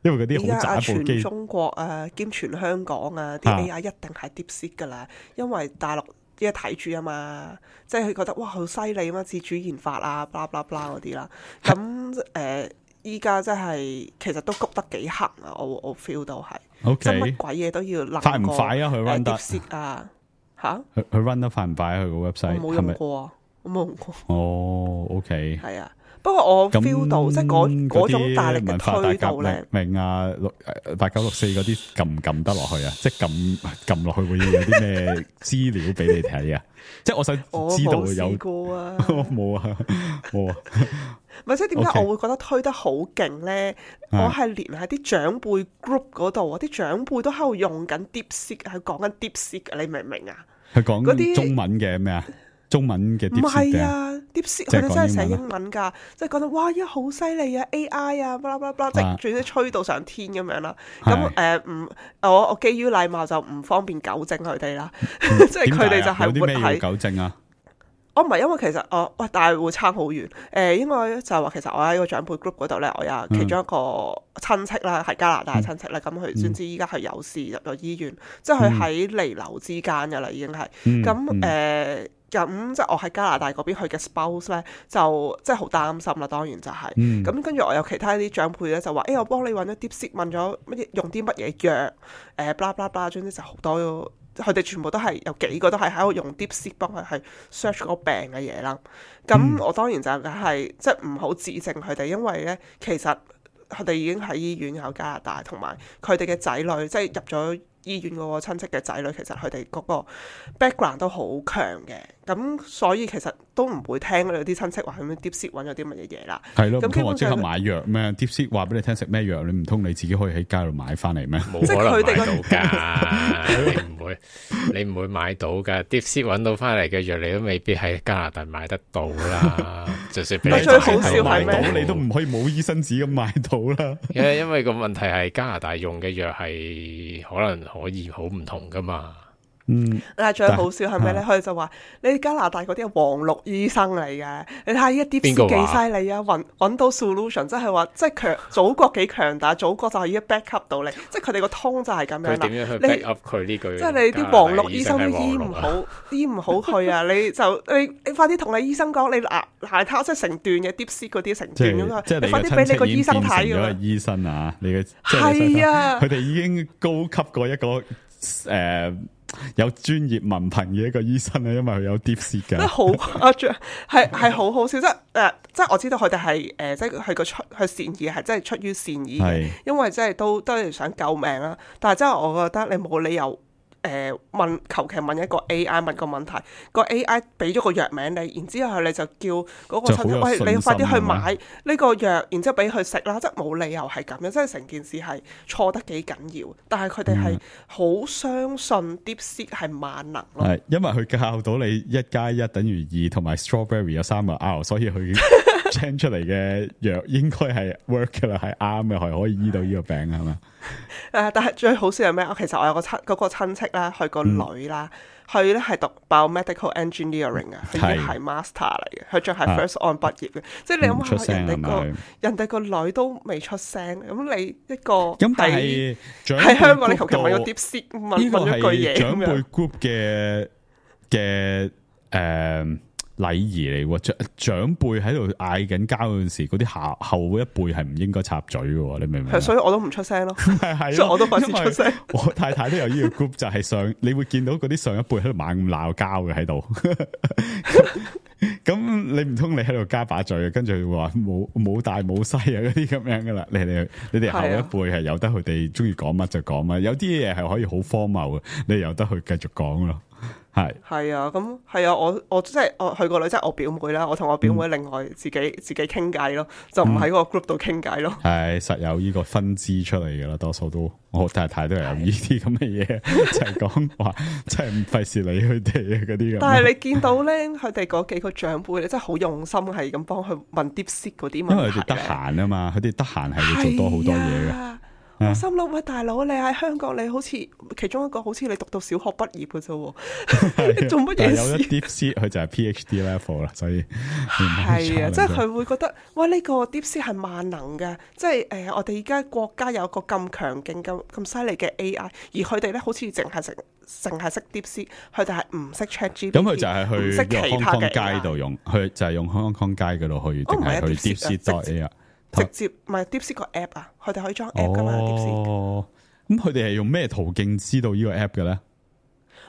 因為嗰啲依家啊，好渣部全機，中國啊，兼全香港啊，啲啊 A I 一定係 DeepSeek 噶啦，因為大陸依家睇住啊嘛，即係佢覺得哇好犀利啊嘛，自主研發啊，blah blah blah 嗰啲啦。咁誒，依家真係其實都谷得幾行啊，我我 feel 到係。即係乜 OK，鬼嘢都要諗快唔快啊？佢 run 得， DeepSeek 啊嚇，佢佢 run 得快唔快啊？佢個我 website 冇係咪？用過啊，我冇用過。哦，OK。係啊，不過我 feel 到即係嗰嗰種大力嘅文化大革推動咧，命啊，六誒八九六四嗰啲撳唔撳得落去啊？即係撳撳落去會有啲咩資料俾你睇啊？即係我想我知道冇試有過啊。我冇啊，冇啊。咪即係點解 OK 我會覺得推得好勁咧？啊我係連喺啲長輩 group 嗰度啊，啲長輩都喺度用緊 DeepSeek，係講緊 DeepSeek，你明唔明啊？佢講嗰啲中文嘅咩啊？中文嘅唔 DeepSeek 係嘅啊，DeepSeek 即係佢哋真係寫講英文啊英文㗎，即係講到哇，依家好犀利啊 A I 啊，blah blah blah，即係總之吹到上天咁樣啦。咁誒唔，我我基於禮貌就唔方便糾正佢哋啦，即係佢哋就係活有啲咩要喺。糾正啊？我唔係因為其實我喂，但係會差好遠。誒、呃，應該就係話其實我喺個長輩 group 嗰度咧，我有其中一個親戚啦，係加拿大親戚咧，咁佢先知依家係有事入咗醫院，即係佢喺彌留之間㗎啦，已經係。嗯咁誒，咁、即係我喺加拿大嗰邊，佢嘅 spouse 咧就即係好擔心啦，當然就係、嗯咁跟住我有其他啲長輩咧就話：，誒、欸，我幫你揾咗 DeepSeek，問咗乜嘢用啲乜嘢藥，誒，blah blah blah，總之就好多。佢哋全部都係有幾個都係喺度用 DeepSeek 幫佢係 search 嗰個病嘅嘢啦。咁我當然就梗係即係唔好指正佢哋，因為咧其實佢哋已經喺醫院有加拿大，同埋佢哋嘅仔女即係入咗醫院嗰個親戚嘅仔女，其實佢哋嗰個 background 都好強嘅。咁所以其實都唔會聽嗰啲親戚話咁 DeepSeek 揾咗啲乜嘢嘢啦。係咯，唔咁基本上通我即刻買藥咩？DeepSeek 話俾你聽食咩藥，你唔通你自己可以喺街度買翻嚟咩？冇可能佢哋個買到㗎，你唔會，你唔會買到㗎。DeepSeek 揾到翻嚟嘅藥，你都未必喺加拿大買得到啦。就算俾你但最好買到笑係咩買到你都唔可以冇醫生紙咁買到啦。因為因為個問題係加拿大用嘅藥係可能可以好唔同㗎嘛。嗯，但係最好笑係咩咧？啊佢哋就話：你加拿大嗰啲係黃綠醫生嚟嘅，你睇下依一啲邊個幾話犀利啊！揾揾到 solution，即係話即係強祖國幾強大，祖國就係依一 back up 到你，即係佢哋個通就係咁樣啦。佢點樣去你 back up 佢呢句？即係你啲黃綠醫生都加拿大醫唔係黃綠啊好，醫唔好佢啊！你就你你快啲同你醫生講，你嗱嗱睇即係成段嘅 DeepSeek 嗰啲成即段咁啊！係即係你你快啲俾你個醫生睇咗㗎啦個醫生啊！你嘅係啊佢哋已經高級過一個誒、呃、有專業文憑嘅一個醫生啊，因為佢有 DeepSeek 即係㗎。好誇張，係係好好笑，即係誒，即係我知道佢哋係誒，即係佢個出佢善意係真係出於善意嘅係，因為即係都都係想救命啦。但係真係我覺得你冇理由誒、呃、問求其問一個 A I 問個問題，個 A I 俾咗個藥名你，然之後你就叫嗰個親戚，就好有喂，信心你快啲去係咪買呢個藥，然之後俾佢食啦，即係冇理由係咁樣，即係成件事係錯得幾緊要。但係佢哋係好相信 DeepSeek 係萬能咯。係，因為佢教到你一加一等於二，同埋 strawberry 有三個 R，所以佢 change 出嚟嘅藥應該係 work 噶啦，係啱嘅，係可以醫到呢個病係嘛？誒，但係最好笑係咩？我其實我有個親嗰個親戚啦，佢個女啦，佢咧係讀 biomedical engineering 啊，佢已經係 master 嚟嘅，佢仲係 first on 畢業嘅。即係你諗下，唔出聲人哋個係咪人哋個女都未出聲，咁你一個咁但喺係長喺香港，你輩求其問個 group DeepSeek 度問呢個問咗句係嘢咁樣長輩 group 嘅嘅誒禮儀嚟喎，長長輩喺度嗌緊交嗰陣時，嗰啲後後一輩係唔應該插嘴嘅喎，你明唔明啊？係，所以我都唔出聲咯。係係咯，所以我都費事因為出聲我太太都有呢個 group，就係上你會見到嗰啲上一輩喺度猛咁鬧交嘅喺度。咁你唔通你喺度加把嘴，跟住話冇冇大冇細啊嗰啲咁樣噶啦？你哋你哋後一輩係由得佢哋中意講乜就講乜，有啲嘢係可以好荒謬嘅，你由得佢繼續講咯。係係啊，咁係啊，我我即係我去個女，即係我表妹啦，我同我表妹另外自己、嗯、自己傾偈咯，就唔喺個 group 度傾偈咯。係實有呢個分支出嚟噶啦，多數都我太太都係有呢啲咁嘅嘢，就係講話即係唔費事理佢哋啊嗰啲咁。但係你見到咧，佢哋嗰幾個長輩咧，真係好用心，係咁幫佢問 DeepSeek 嗰啲問題。因為佢哋得閒啊嘛，佢哋得閒係會做多好多嘢嘅。我心諗喂，大佬你喺香港，你好似其中一個好似你讀到小學畢業嘅啫，你做乜嘢事？有一 DeepSeek 佢就係 PhD level 啦，所以係啊，即係佢會覺得喂呢、這個 DeepSeek 係萬能嘅，即係誒、呃、我哋而家國家有個咁強勁、咁咁犀利嘅 A I， 而佢哋咧好似淨係識淨係識 DeepSeek，佢哋係唔識 ChatGPT。咁佢就係去其他嘅街度用，佢就係用香港街嗰度去，定係去 DeepSeek.A I。直接唔係 DeepSeek 個 app 啊，佢哋可以裝 app 噶嘛 DeepSeek。哦，咁佢哋係用咩途徑知道呢個 app 嘅咧？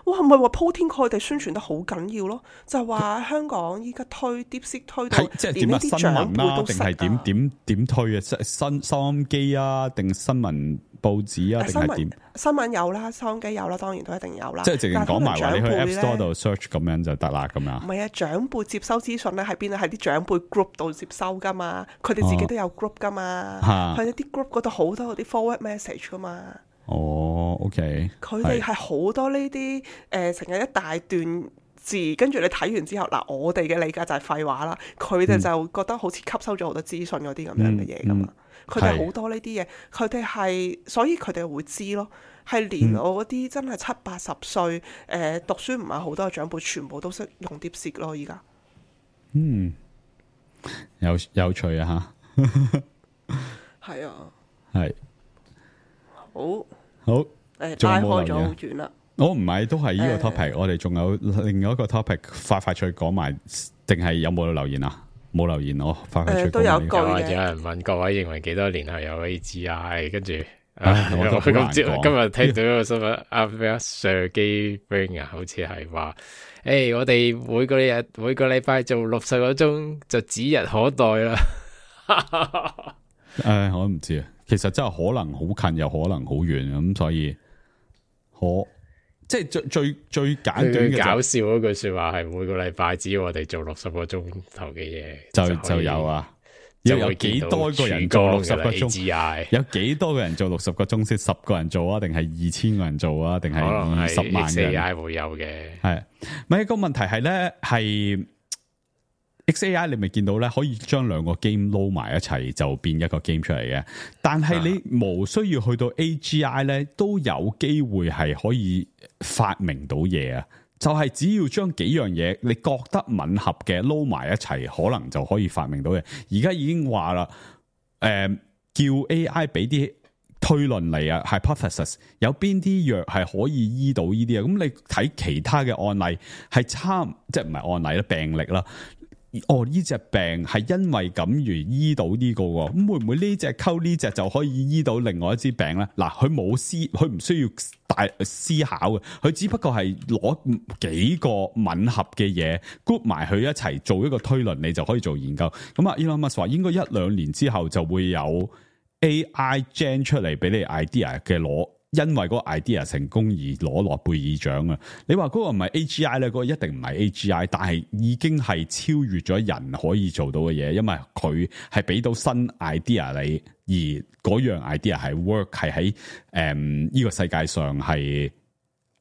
哇，唔係話鋪天蓋地宣傳得好緊要咯，就係話香港依家推 DeepSeek 推到即係點啊？新聞啦，定係點點點推啊？新收音機啊，定新聞報紙啊，定係點？新聞有啦，收音機有啦，當然都一定有啦。即係直情講埋話，你去 App Store 度 search 咁樣就得啦，咁樣。唔係啊，長輩接收資訊咧喺邊啊？喺啲長輩 group 度接收噶嘛，佢哋自己都有 group 噶嘛，喺一啲 group 嗰度好多嗰啲 forward message 噶嘛。哦 ，OK，佢哋係好多呢啲誒，成日一大段字，跟住你睇完之後，嗱，我哋嘅理解就係廢話啦。佢哋就覺得好似吸收咗好多資訊嗰啲咁樣嘅嘢噶嘛。佢哋好多呢啲嘢，佢哋係，所以佢哋會知咯。係連我嗰啲真係七八十歲，誒、呃、讀書唔係好多嘅長輩，全部都識用 DeepSeek 咯。而家，嗯，有有趣啊吓，係啊，係。好，好，誒、呃，拉開咗好遠啦。我唔係，都係呢個 topic，、呃、我哋仲有另外一個 topic，快快脆講埋，定係有冇留言啊？冇留言，我快快脆講、呃。都有句嘅。有人問各位認為幾多年後有 A G I？ 跟住，唉我都好難講。今日聽到一個新聞，阿咩啊 Sergey Brin 啊，好似係話，誒、欸，我哋每個日每個禮拜做六十個鐘，就指日可待啦。誒、呃，我都唔知啊。其實真係可能好近，又可能好遠咁，所以可即係最最最簡短嘅、就是、搞笑嗰句說話係每個禮拜只要我哋做六十個鐘頭嘅嘢，就就有啊。要有幾多個人做六十個鐘？有幾多個人做六十個鐘先？十個人做啊？定係二千個人做啊？定係二十萬人？ X A I 會有嘅。係咪一個問題係咧？係 X A I 你咪見到咧，可以將兩個 game 撈埋一齊就變一個 game 出嚟嘅。但係你無需要去到 A G I 咧，都有機會係可以發明到嘢啊！就係、是、只要將幾樣嘢你覺得吻合嘅撈埋一齊，可能就可以發明到嘢。而家已經話啦，誒、呃，叫 A I 俾啲推論嚟啊 ，hypothesis 有邊啲藥係可以醫到呢啲啊？咁你睇其他嘅案例係差，即係唔係案例啦，病歷啦。哦，呢隻病係因為咁而醫到呢個喎，咁會唔會呢隻溝呢隻就可以醫到另外一支病咧？嗱，佢冇思，佢唔需要大思考嘅，佢只不過係攞幾個吻合嘅嘢 group 埋佢一齊做一個推論，你就可以做研究。咁啊 Elon Musk 話應該一兩年之後就會有 A I gen 出嚟俾你 idea 嘅攞。因為嗰個 idea 成功而攞諾貝爾獎啊！你話嗰個唔係 A G I 咧，嗰個一定唔係 A G I， 但係已經係超越咗人可以做到嘅嘢，因為佢係俾到新 idea 你，而嗰樣 idea 係 work 係喺誒呢個世界上係誒、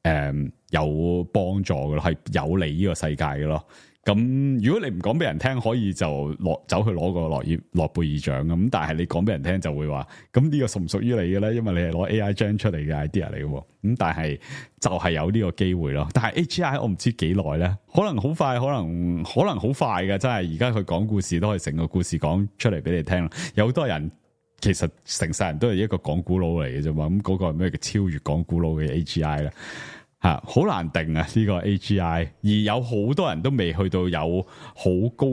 嗯、有幫助嘅咯，係有利呢個世界嘅咯。咁如果你唔講俾人聽，可以就攞走去攞個諾爾諾貝爾獎咁，但係你講俾人聽就會話，咁呢個屬唔屬於你嘅咧？因為你係攞 A I gen 出嚟嘅 idea 嚟嘅，咁但係就係有呢個機會咯。但係 A G I 我唔知幾耐咧，可能好快，可能可能好快嘅，真係而家佢講故事都可以成個故事講出嚟俾你聽。有好多人其實成世人都係一個講古佬嚟嘅啫嘛，咁嗰個係咩叫超越講古佬嘅 A G I 咧？吓，好難定啊！呢個 A G I， 而有好多人都未去到有好高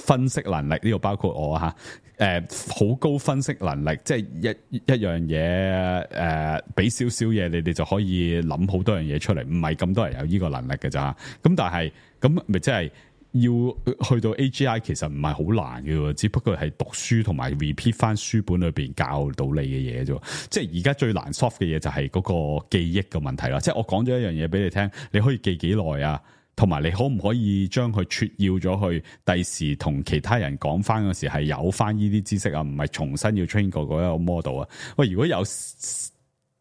分析能力，呢個包括我吓，誒，好高分析能力，即係一一樣嘢，誒，俾少少嘢，你哋就可以諗好多樣嘢出嚟，唔係咁多人有呢個能力嘅咋。咁但係咁咪即係要去到 A G I 其實唔係好難嘅，只不過係讀書同埋 repeat 翻書本裏邊教到你嘅嘢啫。即係而家最難 soft 嘅嘢就係嗰個記憶嘅問題啦。即係我講咗一樣嘢俾你聽，你可以記幾耐啊？同埋你可唔可以將佢撮要咗去第時同其他人講翻嗰時係有翻呢啲知識啊？唔係重新要 train 過嗰一個 model 啊？喂，如果有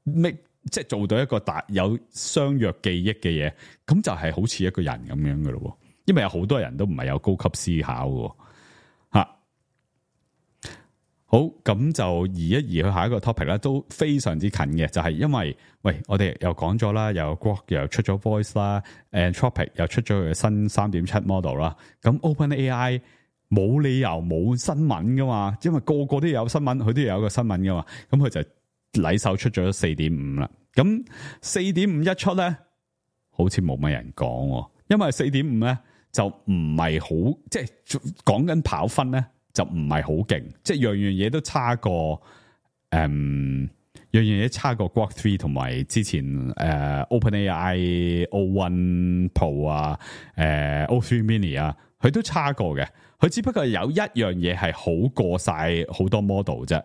make 即係做到一個大有相約記憶嘅嘢，咁就係好似一個人咁樣嘅咯。因為有好多人都唔係有高級思考嘅吓、啊。好，咁就移一移去下一個 topic 咧，都非常之近嘅，就係、是、因為喂，我哋又講咗啦，又 Grok 又出咗 Voice 啦 ，Anthropic 又出咗佢嘅新 三點七 model 啦。咁 OpenAI 冇理由冇新聞噶嘛，因為個個都有新聞，佢都有一個新聞噶嘛。咁佢就禮手出咗四點五啦。咁四點五一出咧，好似冇乜人講，因為四點五咧就唔係好，即係講緊跑分咧。就唔係好勁，即係樣樣嘢都差過，誒、嗯，樣樣嘢差過 Grok 三同埋之前誒、呃、OpenAI O 一 Pro 啊，誒、呃、O 三 Mini 啊，佢都差過嘅。佢只不過有一樣嘢係好過晒好多 model 啫，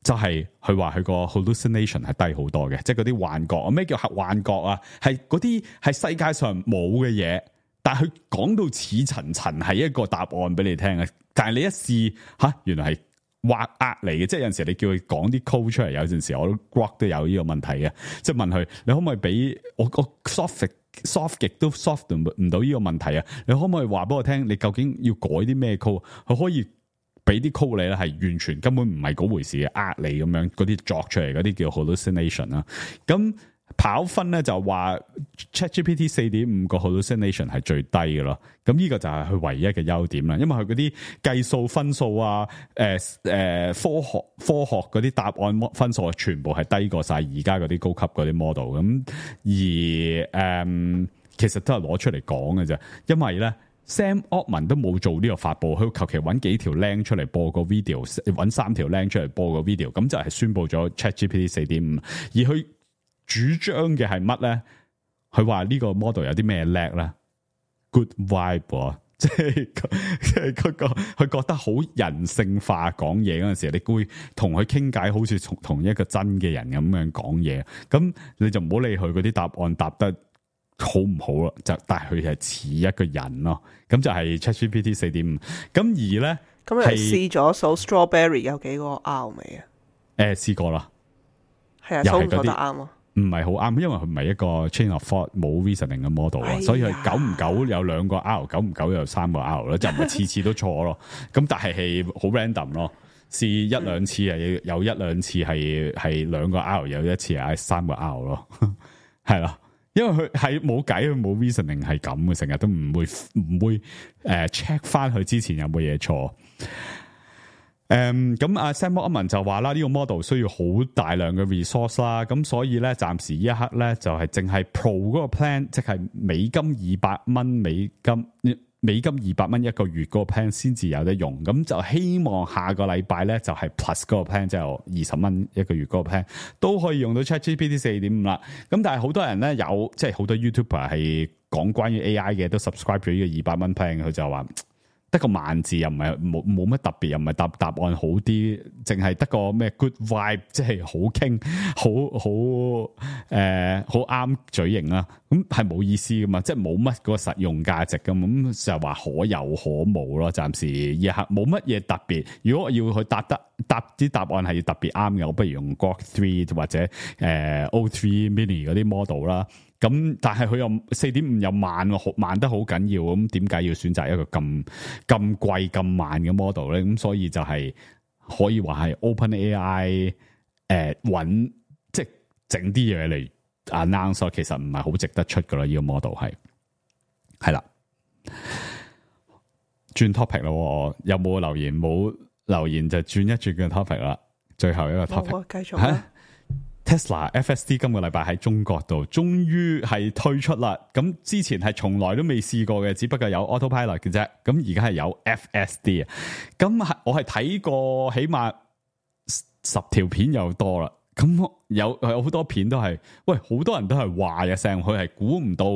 就係佢話佢個 hallucination 係低好多嘅，即係嗰啲幻覺。咩叫幻覺啊？係嗰啲係世界上冇嘅嘢。但係佢講到似層層係一個答案俾你聽嘅，但係你一試吓，原來係畫呃嚟嘅，即係有陣時你叫佢講啲 code 出嚟，有陣時我都 Grok 都有呢個問題嘅，即係問佢你可唔可以俾我個 soft soft 極都 soft 唔到呢個問題啊？你可唔可以話俾我聽，你究竟要改啲咩 code？佢可以俾啲 code 你咧，係完全根本唔係嗰回事嘅，呃你咁樣嗰啲作出嚟嗰啲叫 hallucination 啦，咁。跑分咧就話 ChatGPT 四點五個 hallucination 係最低嘅咯，咁呢個就係佢唯一嘅優點啦。因為佢嗰啲計數分數啊，誒、呃、誒、呃、科學科學嗰啲答案分數啊，全部係低過晒而家嗰啲高級嗰啲 model。咁而誒、呃、其實都係攞出嚟講嘅啫，因為咧 Sam Altman 都冇做呢個發佈，佢求其揾幾條 link 出嚟播個 video， 揾三條 link 出嚟播個 video， 咁就係宣佈咗 ChatGPT 四點五，而佢。主張嘅係乜咧？佢話呢個 model 有啲咩叻咧 ？Good vibe， 即係即係嗰個佢覺得好人性化講嘢嗰陣時，你會同佢傾偈，好似同同一個真嘅人咁樣講嘢。咁你就唔好理佢嗰啲答案答得好唔好咯，就但係佢係似一個人咯。咁就係 ChatGPT 四點五。咁而咧，咁你試咗數 strawberry 有幾個 R 未啊？誒，試過啦，係啊，數唔數得啱啊？唔係好啱，因為佢唔係一個 chain of thought 冇 reasoning 嘅 model 啊、哎，所以佢久唔久有兩個 R， 久唔久有三個 R 咯，就唔係次次都錯咯。咁但係係好 random 咯，試一兩次係有一兩次係係兩個 R， 有一次係三個 R 咯，係啦，因為佢係冇計，佢冇 reasoning 係咁嘅，成日都唔會唔會誒 check 翻佢之前有冇嘢錯。誒，咁阿 Sam Altman 就話啦，呢個 model 需要好大量嘅 resource 啦，咁所以咧，暫時呢一刻咧就係淨係 Pro 嗰個 plan，即係美金二百蚊美金，美金二百蚊一個月嗰個 plan 先至有得用，咁就希望下個禮拜咧就係 Plus 嗰個 plan，即係二十蚊一個月嗰個 plan 都可以用到 ChatGPT 四點五啦。咁但係好多人咧有，即係好多 YouTuber 係講關於 A I 嘅，都 subscribe 咗呢個二百蚊 plan，佢就話。得個萬字又唔係冇冇乜特別，又唔係答答案好啲，淨係得個咩 good vibe， 即係好傾，好好誒好啱嘴型啦。咁係冇意思噶嘛，即係冇乜個實用價值噶嘛，咁就話可有可無咯。暫時一刻冇乜嘢特別。如果我要去答得答啲答案係要特別啱嘅，我不如用 Grok 三或者誒、呃、O 三 Mini 嗰啲 model 啦。咁但係佢又四點五又慢，慢得好緊要，咁點解要選擇一個咁咁貴咁慢嘅 model 咧？咁所以就係可以話係 OpenAI 誒揾即係整啲嘢嚟 announce， 其實唔係好值得出噶啦。呢個 model 係係啦，轉 topic 咯，有冇留言？冇留言就轉一轉嘅 topic 啦。最後一個 topic，繼續啦。Tesla F S D 今個禮拜喺中國度終於係推出啦，咁之前係從來都未試過嘅，只不過有 Autopilot 嘅啫，咁而家係有 F S D 啊，咁係我係睇過起碼十條片又多啦，咁有有好多片都係，喂，好多人都係話嘅聲，佢係估唔到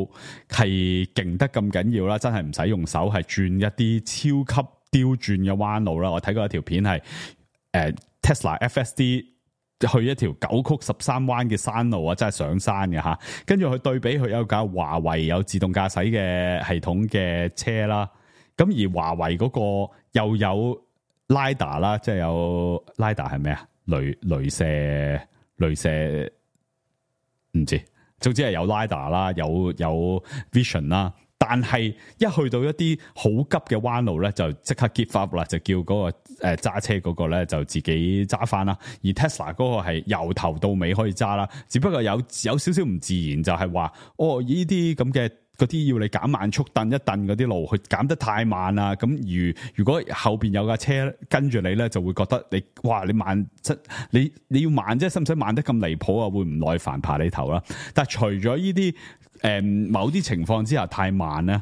係勁得咁緊要啦，真係唔使用手，係轉一啲超級刁轉嘅彎路啦。我睇過一條片係誒、呃、Tesla F S D 去一條九曲十三彎嘅山路啊，真係上山嘅吓。跟住佢對比佢有架華為有自動駕駛嘅系統嘅車啦，咁而華為嗰個又有 LiDAR 啦，即係有 LiDAR 係咩啊？雷雷射雷射唔知，總之係有 LiDAR 啦，有有 Vision 啦。但係一去到一啲好急嘅彎路咧，就即刻 give up 啦，就叫嗰、那個誒揸、呃、車嗰個咧就自己揸翻啦。而 Tesla 嗰個係由頭到尾可以揸啦，只不過有有少少唔自然，就係話哦呢啲咁嘅嗰啲要你減慢速，蹬一蹬嗰啲路，佢減得太慢啦。咁如如果後邊有架車跟住你咧，就會覺得你哇你慢，即你你要慢啫，使唔使慢得咁離譜啊？會唔耐煩爬你頭啦。但係除咗呢啲。誒、嗯，某啲情況之下太慢咧，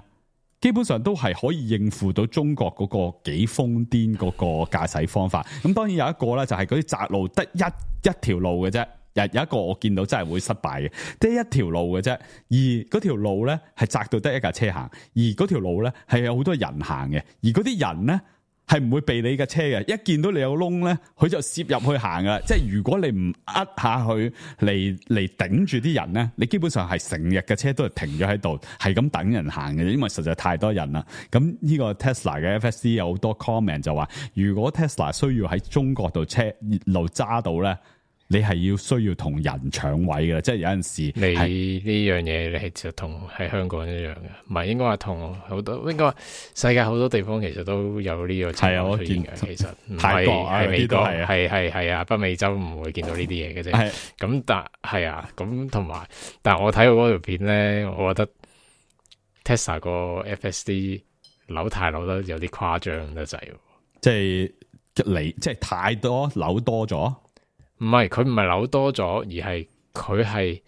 基本上都係可以應付到中國嗰個幾瘋癲嗰個駕駛方法。咁當然有一個咧，就係嗰啲窄路得一一條路嘅啫。有有一個我見到真係會失敗嘅，得一條路嘅啫。而嗰條路咧係窄到得一架車行，而嗰條路咧係有好多人行嘅，而嗰啲人咧係唔會避你嘅車嘅。一見到你有窿咧，佢就攝入去行噶。即係如果你唔呃下去嚟嚟頂住啲人咧，你基本上係成日嘅車都係停咗喺度，係咁等人行嘅，因為實在太多人啦。咁呢個 Tesla 嘅 F S D 有好多 comment 就話，如果 Tesla 需要喺中國度車路揸到咧，你係要需要同人搶位嘅，即係有陣時你呢樣嘢你係就同喺香港一樣嘅，唔係應該話同好多，應該話世界好多地方其實都有呢個情況出現嘅。其實唔係係美國係係係啊，北美洲唔會見到呢啲嘢嘅啫。咁但係啊，咁同埋，但係我睇到嗰條片咧，我覺得 Tesla 個 F S D 扭太扭得有啲誇張得滯，即係你即係太多扭多咗。唔係，佢唔係扭多咗，而係佢係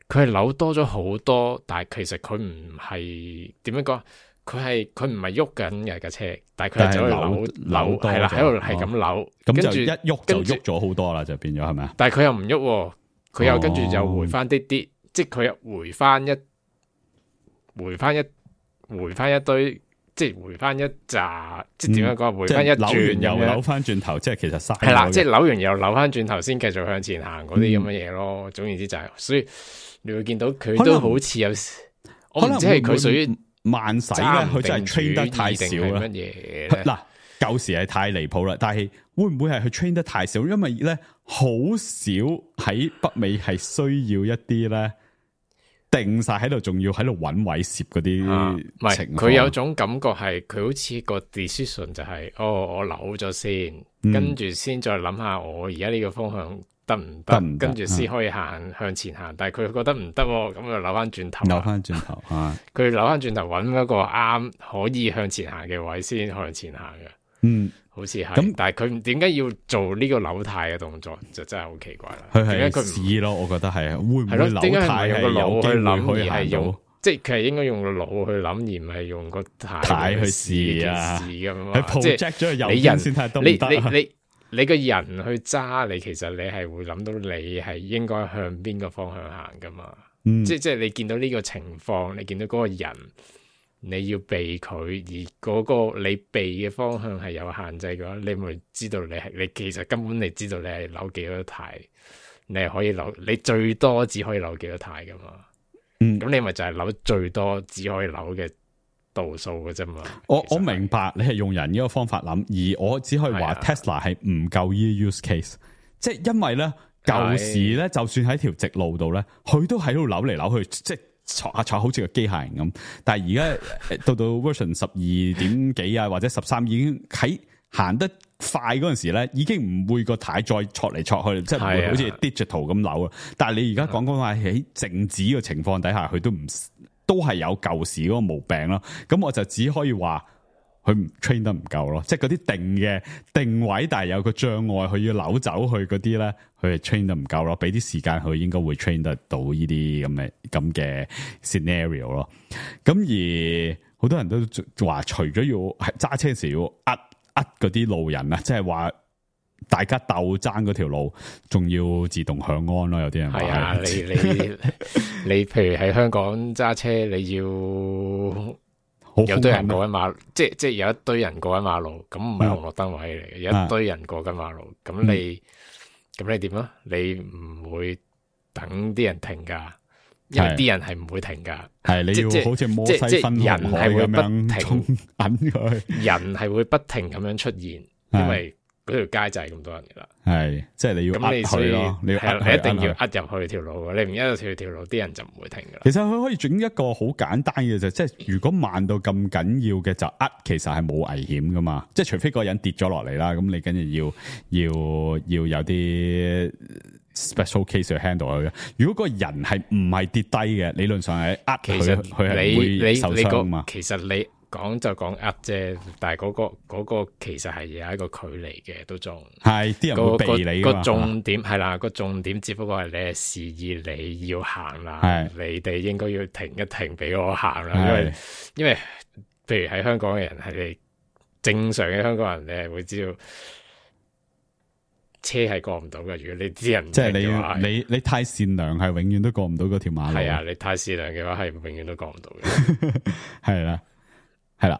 佢係扭多咗好多，但係其實佢唔係點樣講，佢係佢唔係喐緊嘅架車，但係佢係走去扭扭係啦，喺度係咁扭，跟住一喐就喐咗好多啦，就變咗係咪啊？但係佢又唔喐，佢又跟住又回翻啲啲，即係佢又回翻一回翻一回翻一堆。即係回翻一紮，即係點樣講？嗯、回翻一轉又扭翻轉頭，即係其實嘥係啦，即係扭完又扭翻轉頭，先繼續向前行嗰啲咁嘅嘢咯。嗯、總言之就係、是，所以你會見到佢都好似有，我唔知係佢屬於慢駛咧，佢就係 train 得太少啦。乜嘢嗱，舊時係太離譜啦，但係會唔會係佢 train 得太少？因為咧好少喺北美係需要一啲咧。定晒喺度，仲要喺度揾位攝嗰啲情況。唔係，佢有種感覺係佢好似個 decision 就係、是，哦，我扭咗先，嗯、跟住先再諗下我而家呢個方向得唔得，跟住先可以行、嗯、向前行。但係佢覺得唔得，咁就扭翻轉頭。扭翻轉頭，佢扭翻轉頭揾一個啱可以向前行嘅位先向前行嘅。嗯。好似係，咁但係佢點解要做呢個扭軚嘅動作，就真係好奇怪啦。佢係試咯，我覺得係會唔會扭軚係有機會可以行到？即係佢係應該用個腦去諗，而唔係用個軚去試啊。咁嘛，即係你人先睇得唔得？你你你你個人去揸，你其實你係會諗到你係應該向邊個方向行噶嘛？嗯、即係即係你見到呢個情況，你見到嗰個人。你要避佢，而嗰個你避嘅方向係有限制嘅話，你咪知道你係你其實根本你知道你係扭幾多軚，你係可以扭，你最多只可以扭幾多軚噶嘛。嗯，咁你咪就係扭最多只可以扭嘅度數嘅啫嘛。我我明白你係用人呢個方法諗，而我只可以話 Tesla 係唔夠呢 use case，即係因為咧舊時咧，就算喺條直路度咧，佢都喺度扭嚟扭去，即係。坐下坐好似個機械人咁，但係而家到到 version 十二點幾啊，或者十三已經喺行得快嗰陣時咧，已經唔會個軚再挫嚟挫去，即係唔會好似 digital 咁扭啊。但係你而家講講話喺靜止嘅情況底下，佢都唔都係有舊時嗰個毛病咯。咁我就只可以話佢 train 得唔夠咯，即係嗰啲定嘅定位，但係有個障礙，佢要扭走去嗰啲咧。佢係 train 得唔夠咯，俾啲時間佢應該會 train 得到呢啲咁嘅咁嘅 scenario 咯。咁而好多人都話，除咗要係揸車時要呃呃嗰啲路人啊，即係話大家鬥爭嗰條路，仲要自動響安咯。有啲人話係啊，你你你，譬如喺香港揸車，你要有堆人過緊馬路，即係即係有一堆人過緊馬路，咁唔係紅綠燈位嚟嘅，有一堆人過緊馬路，咁你咁你點啊？你唔會等啲人停㗎，因為啲人係唔會停㗎。係你要好似摩西分紅海咁樣衝緊佢，人係會不停咁樣出現，因為嗰條街就係咁多人㗎啦。係，即係你要呃佢咯，你要呃你一定要呃入去條路，你唔呃入條條路，啲人就唔會停㗎啦。其實佢可以整一個好簡單嘅啫，即係如果慢到咁緊要嘅就呃，其實係冇危險㗎嘛。即係除非個人跌咗落嚟啦，咁你跟住要要要有啲 special case 去 handle 佢嘅。如果個人係唔係跌低嘅，理論上係呃佢，佢係唔會受傷嘛。其實你講就講呃啫，但係嗰、嗰個、嗰個其實係有一個距離嘅，都仲係啲人會避你噶嘛。個重點係啦，個重點只不過係你係示意你要行啦，你哋應該要停一停俾我行啦，因為因為譬如喺香港嘅人係你正常嘅香港人，你係會知道車係過唔到嘅。如果你啲人即係你你你太善良，係永遠都過唔到嗰條馬路。係啊，你太善良嘅話係永遠都過唔到嘅。係啦。係啦，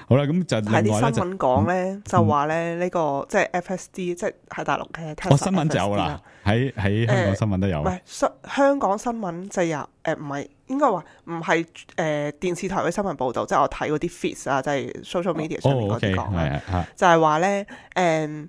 好啦，咁就睇啲新聞講咧，就話咧呢個即係 F S D，即係喺大陸嘅 Tesla。哦，新聞就有啦，喺喺香港新聞都有。唔係香香港新聞就有，誒唔係應該話唔係誒電視台嘅新聞報導，即係我睇嗰啲 feeds 啊，即係 social media 上面嗰啲講啦，就係話咧誒。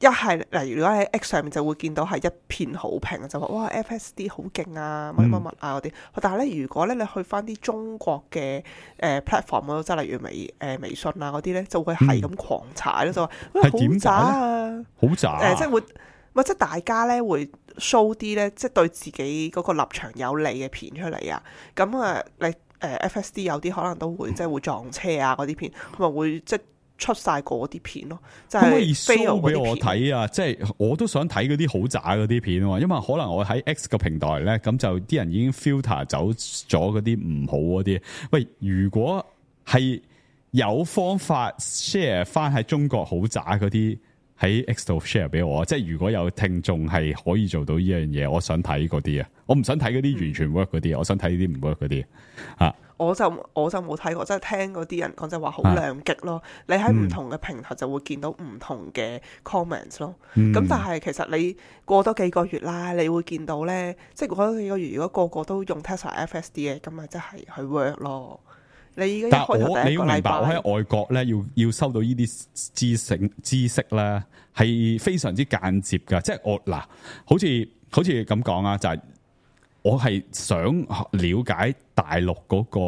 一係例如如果喺 X 上面就會見到係一片好評，就話哇 F S D 好勁啊，乜乜乜啊嗰啲。但係咧，如果咧你去翻啲中國嘅誒、呃、platform 嗰度，即係例如微誒、呃、微信啊嗰啲咧，就會係咁狂踩咯，就話好渣啊，好渣誒，即係會，或者大家咧會 show 啲咧，即係對自己嗰個立場有利嘅片出嚟啊。咁啊，你誒 F S D 有啲可能都會即係會撞車啊嗰啲片，咁咪會即係。出晒嗰啲片咯，就係、可以 show 俾我睇啊！即係我都想睇嗰啲好渣嗰啲片啊，因為可能我喺 X 個平台咧，咁就啲人已經 filter 走咗嗰啲唔好嗰啲。喂，如果係有方法 share 翻喺中國好渣嗰啲喺 X 度 share 俾我，即係如果有聽眾係可以做到呢樣嘢，我想睇嗰啲啊，我唔想睇嗰啲完全 work 嗰啲，我想睇呢啲唔 work 嗰啲啊。我就我就冇睇過，即係聽嗰啲人講就話好兩極咯。啊、你喺唔同嘅平台就會見到唔同嘅 comments 咯。咁、嗯、但係其實你過多幾個月啦，你會見到咧，即係過多幾個月，如果個個都用 Tesla F S D 嘅，咁咪真係去 work 咯。你而家一開頭第一個禮拜，我喺外國咧，要要收到呢啲知識知識咧，係非常之間接噶。即係我嗱，好似好似咁講啊，就係、是。我係想了解大陸嗰個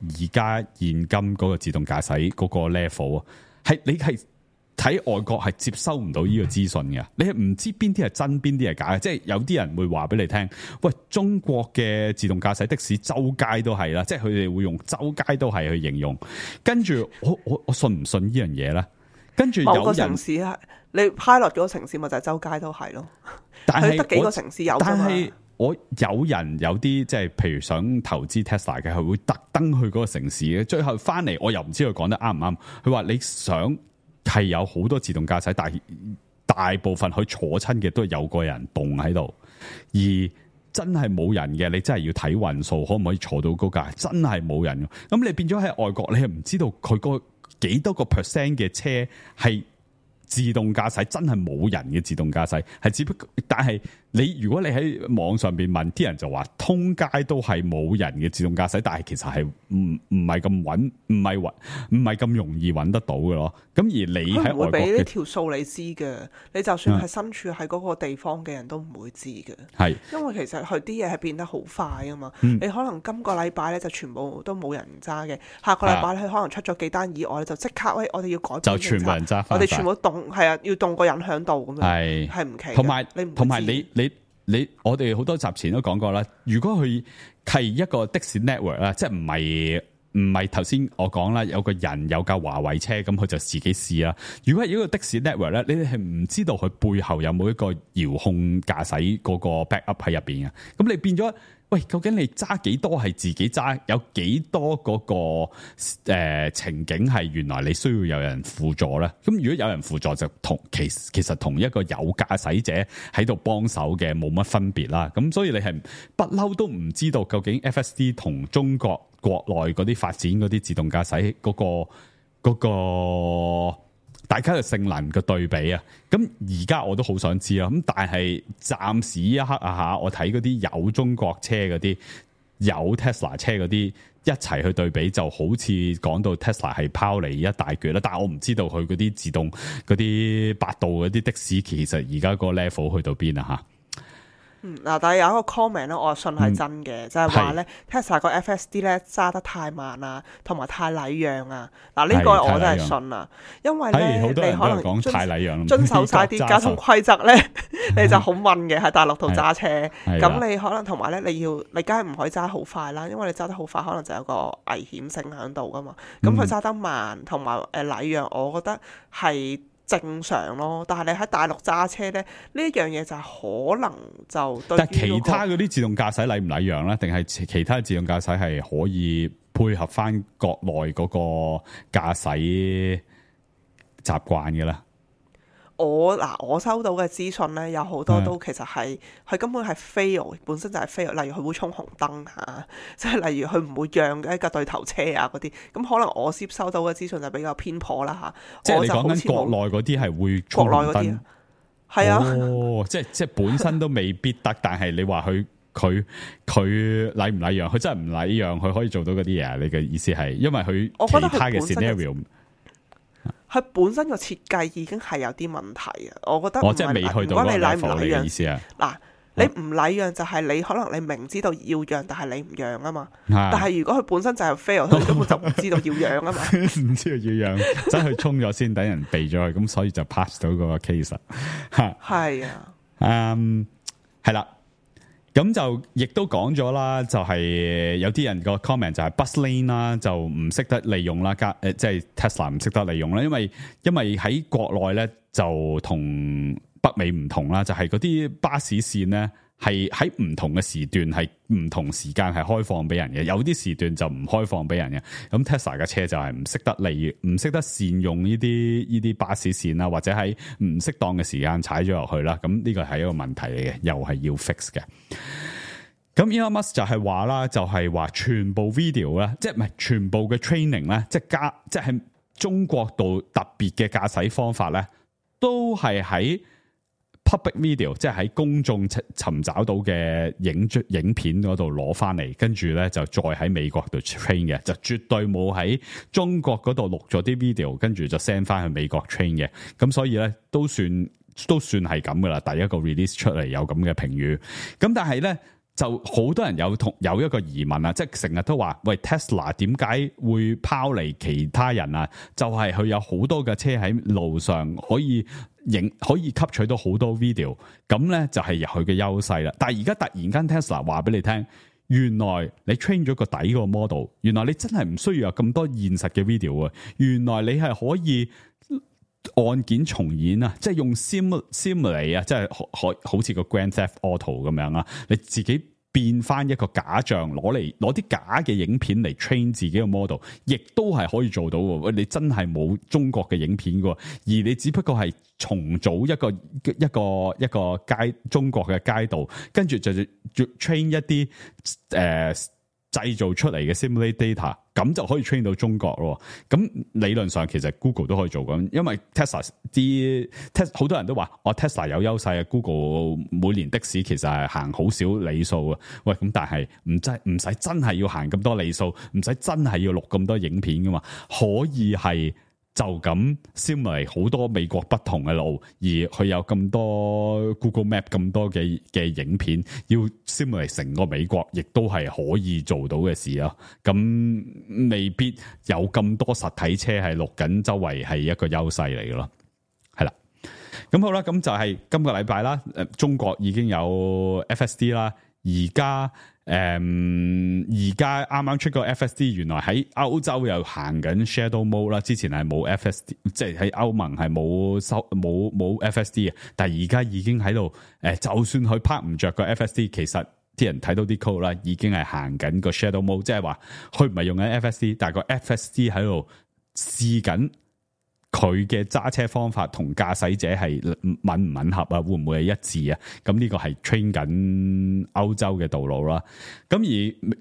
而家現今嗰個自動駕駛嗰個 level 啊，係你係睇外國係接收唔到呢個資訊嘅，你係唔知邊啲係真邊啲係假嘅，即係有啲人會話俾你聽，喂，中國嘅自動駕駛的士周街都係啦，即係佢哋會用周街都係去形容，跟住我我我信唔信呢樣嘢咧？跟住有人某個城市係你 pilot 嗰個城市咪就係周街都係咯，但係得幾個城市有㗎嘛。我有人有啲即係，譬如想投資 Tesla 嘅，佢會特登去嗰個城市嘅，最後翻嚟我又唔知佢講得啱唔啱。佢話你想係有好多自動駕駛，但係大部分佢坐親嘅都係有個人動喺度，而真係冇人嘅，你真係要睇運數，可唔可以坐到嗰架？真係冇人，咁你變咗喺外國，你係唔知道佢個幾多個 percent 嘅車係自動駕駛，真係冇人嘅自動駕駛，係只不過，但係你如果你喺網上邊問啲人就話，通街都係冇人嘅自動駕駛，但係其實係唔唔係咁穩，唔係穩，唔係咁容易揾得到嘅咯。咁而你喺外國，佢唔會俾呢條數你知嘅，你就算係身處喺嗰個地方嘅人都唔會知嘅。係、嗯，因為其實佢啲嘢係變得好快啊嘛。嗯、你可能今個禮拜咧就全部都冇人揸嘅，下個禮拜咧佢可能出咗幾單意外，就即刻喂，我哋要改變，就全部人揸，我哋全部動係啊，要動個人響度咁樣，係係唔奇。同埋同埋你你。你你我哋好多集前都講過啦，如果佢係一個的士 network 啦，即係唔係唔係頭先我講啦，有個人有架華為車，咁佢就自己試啦。如果係一個的士 network 咧，你哋係唔知道佢背後有冇一個遙控駕駛嗰個 backup 喺入邊嘅，咁你變咗喂，究竟你揸幾多係自己揸？有幾多嗰、那個誒、呃、情景係原來你需要有人輔助咧？咁如果有人輔助就同其其實同一個有駕駛者喺度幫手嘅冇乜分別啦。咁所以你係不嬲都唔知道究竟 F S D 同中國國內嗰啲發展嗰啲自動駕駛嗰個嗰個。那個大家嘅性能嘅對比啊，咁而家我都好想知啊，咁但係暫時一刻啊嚇，我睇嗰啲有中國車嗰啲有 Tesla 車嗰啲一齊去對比，就好似講到 Tesla 係拋離一大橛啦，但係我唔知道佢嗰啲自動嗰啲百度嗰啲的士其實而家個 level 去到邊啊嚇。嗯，嗱，但係有一個 comment 咧，我信係真嘅，嗯、就係話咧 Tesla 個 F S D 咧揸得太慢啊，同埋太禮讓啊。嗱，呢個我真係信啊，因為咧你可能講太禮讓，遵守晒啲交通規則咧，你就好問嘅喺大陸度揸車。咁你可能同埋咧，你要你梗係唔可以揸好快啦，因為你揸得好快，可能就有個危險性喺度噶嘛。咁佢揸得慢同埋誒禮讓，我覺得係正常咯，但係你喺大陸揸車咧，呢一樣嘢就係可能就對、那個。但係其他嗰啲自動駕駛禮唔禮讓咧？定係其他自動駕駛係可以配合翻國內嗰個駕駛習慣嘅咧？我嗱，我收到嘅資訊咧，有好多都其實係佢根本係 fail，本身就係 fail。例如佢會衝紅燈嚇，即係例如佢唔會讓一架對頭車啊嗰啲。咁可能我接收到嘅資訊就比較偏頗啦嚇。即係你講緊國內嗰啲係會衝紅燈，係啊，哦，即係即係本身都未必得，但係你話佢佢佢禮唔禮讓？佢真係唔禮讓，佢可以做到嗰啲嘢。你嘅意思係因為佢其他嘅 scenario。佢本身個設計已經係有啲問題啊！我覺得我即係未去到嗰個 level 你嘅意思啊！嗱，你唔禮讓就係你可能你明知道要讓，但係你唔讓啊嘛。但係如果佢本身就係 fail，佢根本就唔知道要讓啊嘛。唔知道要讓，真係衝咗先，等人避咗佢，咁所以就 pass 到嗰個 case 嚇。係啊，嗯，係啦。咁就亦都講咗啦，就係、是、有啲人個 comment 就係 bus lane 啦，就唔識得利用啦，加誒即係 Tesla 唔識得利用啦，因為因為喺國內咧就同北美唔同啦，就係嗰啲巴士線咧係喺唔同嘅時段係唔同時間係開放俾人嘅，有啲時段就唔開放俾人嘅。咁 Tesla 嘅車就係唔識得利唔識得善用呢啲呢啲巴士線啦，或者喺唔適當嘅時間踩咗落去啦。咁呢個係一個問題嚟嘅，又係要 fix 嘅。咁 Elon Musk 就係話啦，就係話全部 video 咧，即係唔係全部嘅 training 咧，即係加即係喺中國度特別嘅駕駛方法咧，都係喺 public video， 即係喺公眾尋找到嘅影影片嗰度攞翻嚟，跟住咧就再喺美國度 train 嘅，就絕對冇喺中國嗰度錄咗啲 video， 跟住就 send 翻去美國 train 嘅。咁所以咧都算都算係咁噶啦，第一個 release 出嚟有咁嘅評語。咁但係咧就好多人有同有一個疑問啊，即係成日都話喂 Tesla 點解會拋離其他人啊？就係、是、佢有好多嘅車喺路上可以影可以吸取到好多 video， 咁咧就係佢嘅優勢啦。但係而家突然間 Tesla 話俾你聽，原來你 train 咗個底個 model， 原來你真係唔需要有咁多現實嘅 video 啊！原來你係可以按鍵重演啊，即係用 sim simulate 啊，即係可好似個 Grand Theft Auto 咁樣啊，你自己變翻一個假象，攞嚟攞啲假嘅影片嚟 train 自己嘅 model， 亦都係可以做到喎。你真係冇中國嘅影片嘅，而你只不過係重組一個一個一個街中國嘅街道，跟住就就 train 一啲誒。呃製造出嚟嘅 simulate data， 咁就可以 train 到中國咯。咁理論上其實 Google 都可以做咁，因為 Tesla 啲 Tesla 好多人都話我 Tesla 有優勢啊。Google 每年的士其實係行好少里數啊。喂，咁但係唔真唔使真係要行咁多里數，唔使真係要錄咁多影片噶嘛，可以係。就咁 simulate 好多美國不同嘅路，而佢有咁多 Google Map 咁多嘅嘅影片，要 simulate 成個美國，亦都係可以做到嘅事咯。咁未必有咁多實體車係錄緊周圍係一個優勢嚟嘅咯。係啦，咁好啦，咁就係今個禮拜啦。誒，中國已經有 F S D 啦，而家。誒，而家啱啱出個 F S D， 原來喺歐洲又行緊 Shadow Mode 啦。之前係冇 F S D， 即係喺歐盟係冇收冇冇 F S D 嘅，但係而家已經喺度誒，就算佢拍唔着個 F S D， 其實啲人睇到啲 code 啦，已經係行緊個 shadow mode，即係話佢唔係用緊 F S D， 但係個 F S D 喺度試緊佢嘅揸車方法同駕駛者係吻唔吻合啊？會唔會係一致啊？咁呢個係 train 緊歐洲嘅道路啦。咁而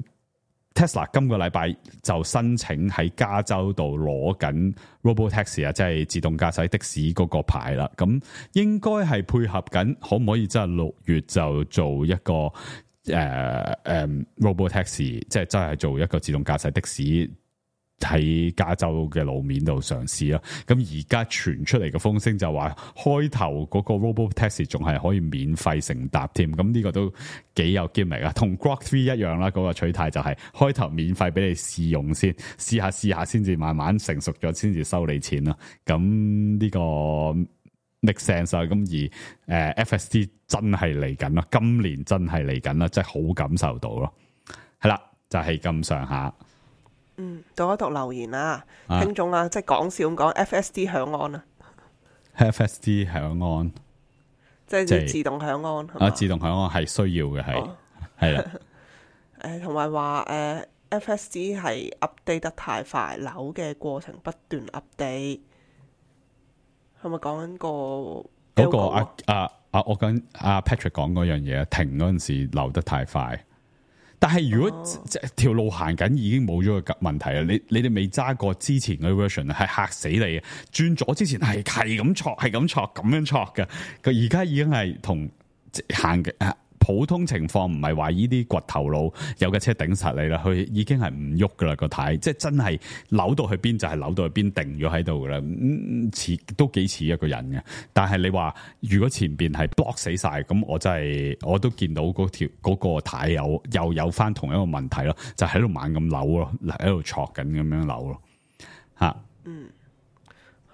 Tesla 今個禮拜就申請喺加州度攞緊 Robotaxi 啊，即係自動駕駛的士嗰個牌啦。咁應該係配合緊，可唔可以真係六月就做一個誒誒、呃呃、Robotaxi，即係真係做一個自動駕駛的士？喺加州嘅路面度嘗試啦，咁而家傳出嚟嘅風聲就話開頭嗰個 Robotaxi 仲係可以免費乘搭添，咁呢個都幾有 gimmick啊，同 Grok three 一樣啦，嗰、嗰個取態就係開頭免費俾你試用先，試下試下先至慢慢成熟咗先至收你錢啦，咁呢個 make sense 啊，咁而誒 F S D 真係嚟緊啦，今年真係嚟緊啦，真係好感受到咯，係啦，就係咁上下。嗯，讀一讀留言啦，啊、聽眾啊，即係講笑咁講 F S D 響安啊 ，F S D 響安，即係自動響安係嘛？啊，自動響安係需要嘅，係係啦。誒，同埋話誒 F S D 係 update 得太快，扭嘅過程不斷 update，係咪講緊個嗰個啊啊啊？我跟阿 Patrick 講嗰樣嘢，停嗰陣時扭得太快。但係如果、哦、即係條路行緊已經冇咗個問題啦，你你哋未揸過之前嘅 version 係嚇死你嘅，轉左之前係係咁挫係咁挫咁樣挫嘅，佢而家已經係同行嘅普通情況，唔係話呢啲掘頭路有架車頂實你啦，佢已經係唔喐噶啦個軚，即係真係扭到去邊就係扭到去邊，定咗喺度噶啦，嗯，似都幾似一個人嘅。但係你話如果前邊係 block 死晒，咁我真係我都見到嗰條嗰個軚有又有翻同一個問題咯，就喺度猛咁扭咯，喺度挫緊咁樣扭咯，吓，嗯，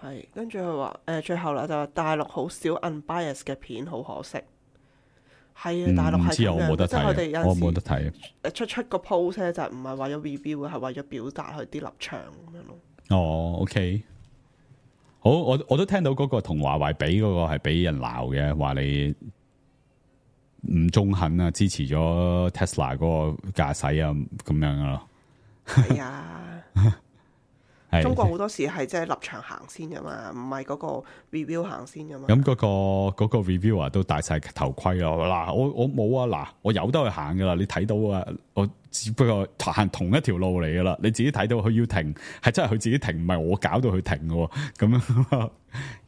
係跟住佢話誒，最後啦就話大陸好少 unbiased 嘅片，好可惜。係啊，大陸係咁樣，即係佢哋有我冇得睇。誒出出個 post 咧，就唔係為咗 review 嘅，係為咗表達佢啲立場咁樣咯。哦 ，OK，好，我我都聽到嗰個同華為比嗰個係俾人鬧嘅，話你唔中肯啊，支持咗 Tesla 嗰個駕駛啊，咁樣咯。係啊。中國好多時係即係立場行先噶嘛，唔係嗰個 review 行先噶嘛。咁嗰、嗰個、嗰個 reviewer 都戴晒頭盔咯。嗱，我我冇啊，嗱，我有得去行噶啦。你睇到啊，我只不過行同一條路嚟噶啦。你自己睇到佢要停，係真係佢自己停，唔係我搞到佢停嘅。咁樣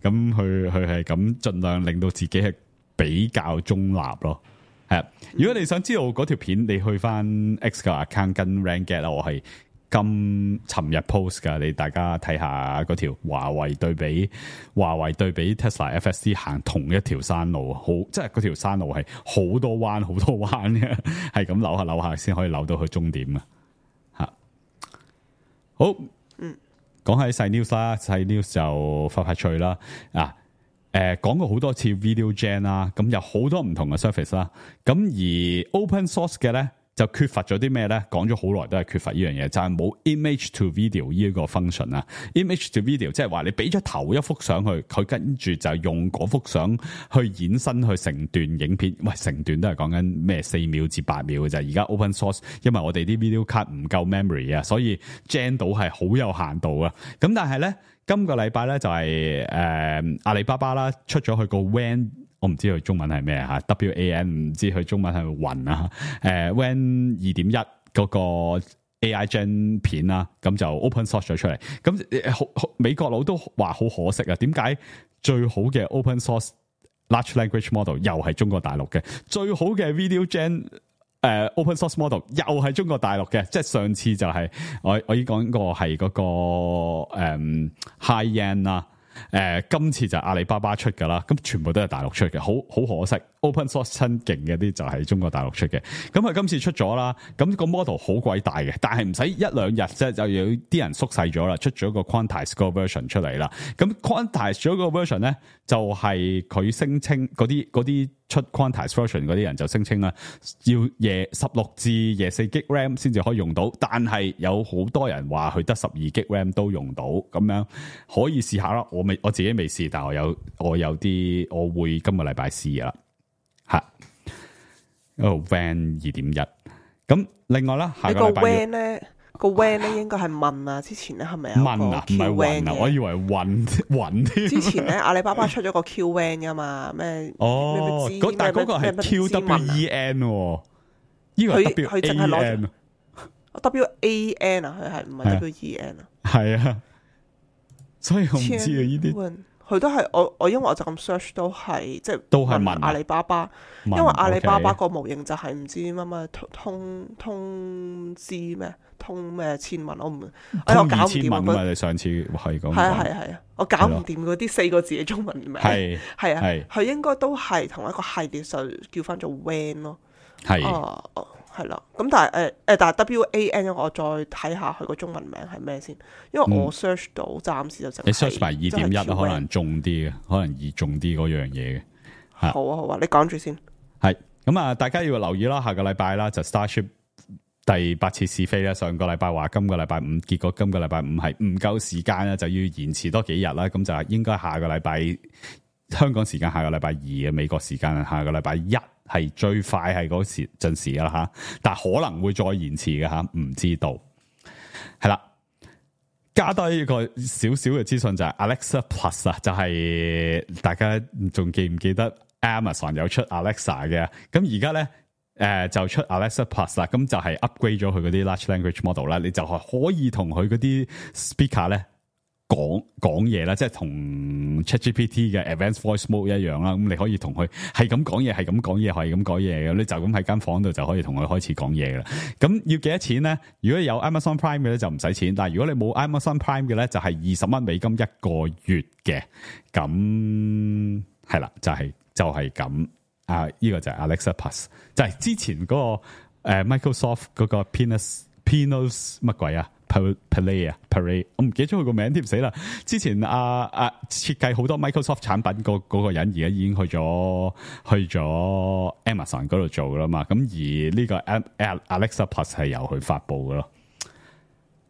咁佢佢係咁盡量令到自己係比較中立咯。係啊，如果你想知道嗰條片，你去翻 X 嘅 account 跟 Ranget 啦，我係。今尋日 post 噶，你大家睇下嗰條華為對比華為對比 Tesla F S D 行同一條山路，好即係嗰條山路係好多彎好多彎嘅，係咁扭下扭下先可以扭到去終點啊！吓，好，嗯，講喺細 news 啦，細 news 就快快脆啦啊！誒、呃，講過好多次 video gen 啦，咁有好多唔同嘅 service 啦，咁而 open source 嘅咧。就缺乏咗啲咩咧？講咗好耐都係缺乏呢樣嘢，就係、是、冇 image to video 呢一個 function 啊。image to video 即係話你俾咗頭一幅相去，佢跟住就用嗰幅相去衍生去成段影片。喂，成段都係講緊咩四秒至八秒嘅啫。而家 open source，因為我哋啲 video card 唔夠 memory 啊，所以 gen 到係好有限度啊。咁但係咧，今個禮拜咧就係、是、誒、呃、阿里巴巴啦，出咗去個 W A N。我唔知佢中文係咩吓 ，W A N 唔知佢中文係雲啊，誒 W A N 二點一嗰個 A I Gen 片啦，咁就 open source 咗出嚟，咁好美國佬都話好可惜啊，點解最好嘅 open source large language model 又係中國大陸嘅，最好嘅 video gen 誒、呃、open source model 又係中國大陸嘅，即係上次就係、是、我我已講過係嗰、那個誒、嗯、high end 啊。誒、呃，今次就阿里巴巴出噶啦，咁全部都係大陸出嘅，好好可惜。open source 親勁嘅啲就係中國大陸出嘅，咁佢今次出咗啦，咁個 model 好鬼大嘅，但係唔使一兩日啫，就有啲人縮細咗啦，出咗個 quantize 個 version 出嚟啦。咁 quantize 咗個 version 咧，就係佢聲稱嗰啲嗰啲出 quantize version 嗰啲人就聲稱啦，要夜十六至廿四 G RAM 先至可以用到，但係有好多人話佢得十二 G RAM 都用到，咁樣可以試下啦。我未我自己未試，但係我有我有啲我會今個禮拜試啦。吓，一個 W A N 二點一。咁另外啦，下你個個禮拜 W A N 咧，個 W A N 咧應該係問啊，之前咧係咪有問啊，唔係 Q W A 運 N 啊，嘅我以為運運添。之前咧阿里巴巴出咗個 Q W A N 噶嘛，咩哦，咩嗰但係嗰個係 Q W E N 喎，呢個係 W 佢佢淨 A 係攞 N。W A N 啊，佢係唔係 W E N 啊？係啊，所以我唔知啊呢啲。佢都係我我因為我就咁 search 都係即係都係問阿里巴巴，問因為阿里巴巴 OK 個模型就係唔知乜乜通通通知咩通咩千問，我唔哎我通搞唔掂啊！二千蚊嘛，你上次係咁講。係啊係啊係啊，我搞唔掂嗰啲四個字嘅中文名。係係啊係，佢應該都係同一個系列，就叫翻做 W A N 咯。係哦哦，係啦。咁但係誒誒，但係 W A N 我再睇下佢個中文名係咩先，因為我 search 到暫時就淨係你 search 埋二點一真係 Q 可 W A N 能中啲嘅，可能易中啲嗰樣嘢嘅。好啊好啊，你講住先。係咁啊，大家要留意啦，下個禮拜啦就 Starship 第八次試飛啦。上個禮拜話今個禮拜五，結果今個禮拜五係唔夠時間啦，就要延遲多幾日啦。咁就係應該下個禮拜香港時間下個禮拜二嘅，美國時間下個禮拜一係最快係嗰時陣時啦吓，但係可能會再延遲嘅吓，唔知道。係啦，加多一個少少嘅資訊就係 Alexa Plus 啊，就係大家仲記唔記得 Amazon 有出 Alexa 嘅？咁而家咧誒就出 Alexa Plus 啦，咁就係 upgrade 咗佢嗰啲 large language model 啦，你就係可以同佢嗰啲 speaker 咧講講嘢啦，即係同 ChatGPT 嘅 Advanced Voice Mode 一樣啦。咁你可以同佢係咁講嘢，係咁講嘢，係咁講嘢嘅，你就咁喺間房度就可以同佢開始講嘢噶啦。咁要幾多錢咧？如果有 Amazon Prime 嘅咧就唔使錢，但係如果你冇 Amazon Prime 嘅咧就係二十蚊美金一個月嘅。咁係啦，就係、就係、咁啊！呢、呢個就係 Alexa Plus，就係之前嗰、嗰個、呃、Microsoft 嗰個 Pinus Pinus 乜鬼啊？Play 啊 ，Play， 我唔記得咗佢個名添，死啦！之前啊啊設計好多 Microsoft 產品嗰嗰個人，而家已經去咗去咗 Amazon 嗰度做噶啦嘛。咁而呢個 Alexa Plus 係由佢發布噶咯。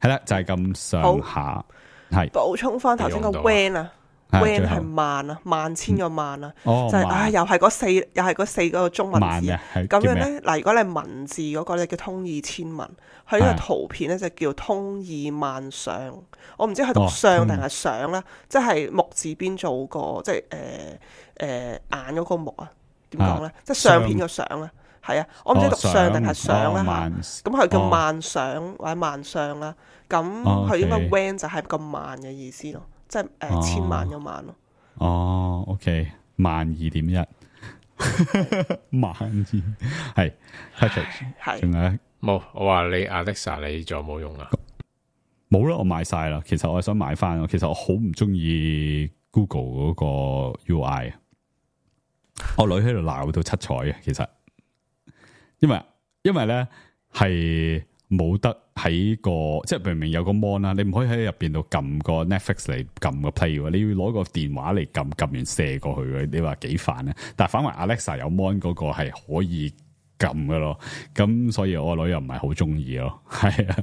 係啦，就係咁上下。係補充翻頭先個 W A N 啊。W A N 係萬啊，萬千個萬啊，哦、就係、是、唉，又係嗰四，又係嗰四個中文字。咁樣咧，嗱，如果你係文字嗰個咧叫通義千文，佢呢個圖片咧就叫通義萬相。我唔知係讀相定係相啦，即係木字邊做個，即係誒誒眼嗰個木啊？點講咧？即係相片個相啊？係啊，我唔知讀相定係相啦嚇。咁佢叫萬相或者萬相啦。咁佢應該 W A N 就係個萬嘅意思咯。即係誒、呃、千萬個萬咯。哦 ，OK， 萬二點一，萬二係 Patrick 係，仲有冇？我話你 Alexa 你仲有冇用啊？冇啦，我買晒啦。其實我係想買翻，其實我好唔中意 Google 嗰個 U I 啊。我女喺度鬧到七彩嘅，其實因為因為咧係。冇得喺個即係明明有個 mon 啦，你唔可以喺入邊度撳個 Netflix 嚟撳個 play 喎，你要攞個電話嚟撳，撳完射過去嘅，你話幾煩咧？但係反為 Alexa 有 mon 嗰個係可以撳嘅咯，咁所以我女又唔係好中意咯，係啊，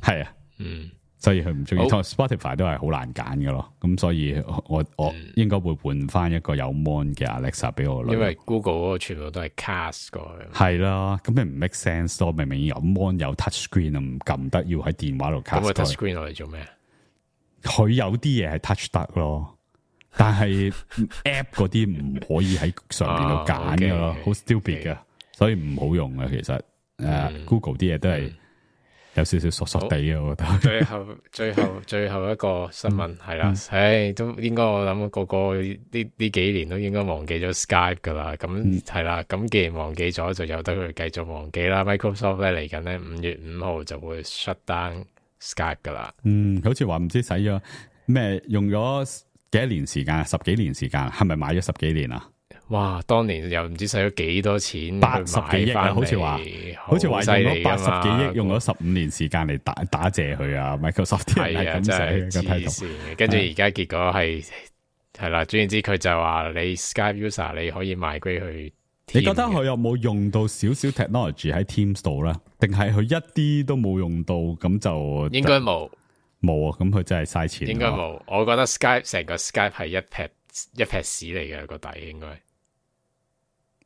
係啊，嗯。所以佢唔中意，同 Spotify 都係好難揀嘅咯。咁所以我我應該會換翻一個有 mon 嘅 Alexa 俾我女。因為 Google 嗰個全部都係 cast 過去。係啦，咁你唔 make sense 咯。明明有 mon 有 touch screen 啊，唔撳得，要喺電話度 cast。咁個 touch screen 攞嚟做咩？佢有啲嘢係 touch 得咯，但係 app 嗰啲唔可以喺上邊度揀嘅咯，好 stupid 嘅，所以唔好用啊。其實誒、嗯 uh, ，Google 啲嘢都係。有少少傻傻地嘅，我覺得。最後、最後、最後一個新聞係啦，唉，都應該我諗個個呢呢幾年都應該忘記咗 Skype 噶啦。咁係啦，咁既然忘記咗，就由得佢繼續忘記啦。Microsoft 咧嚟緊咧五月五號就會 shut down Skype 噶啦。嗯，好似話唔知使咗咩，用咗幾多年時間，十幾年時間，係咪買咗十幾年啊？哇！當年又唔知使咗幾多錢，八十幾億啊！好似話，好似話用咗八十幾億，用咗十五年時間嚟打打謝佢啊！Microsoft 啲人係咁寫嘅睇圖，跟住而家結果係係啦，總言之佢就話你 Skype user 你可以賣歸去。你覺得佢有冇用到少少 technology 喺 Teams 度咧？定係佢一啲都冇用到？咁就應該冇冇啊！咁佢真係嘥錢。應該冇，我覺得 Skype 成個 Skype 係一撇一撇屎嚟嘅個底應該。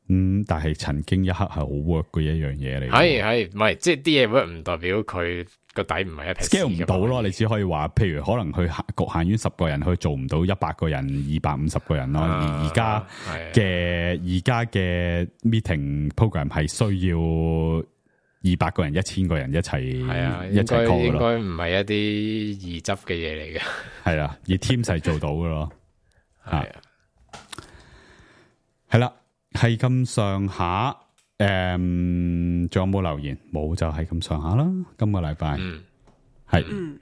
嗯，但係曾經一刻係好 work 嘅一樣嘢嚟。係係，唔係即係啲嘢 work 唔代表佢個底唔係一 scale 唔到咯。你只可以話，譬如可能佢局限於十個人，佢做唔到一百個人、二百五十個人咯。啊、而而家嘅而家嘅 meeting program 係需要二百個人、一千個人一齊係啊，一齊 call 應該唔係一啲易執嘅嘢嚟嘅。係啦，而 team 係做到嘅咯。係啊，係啦。係咁上下，誒、嗯，仲有冇留言？冇就係咁上下啦。今個禮拜係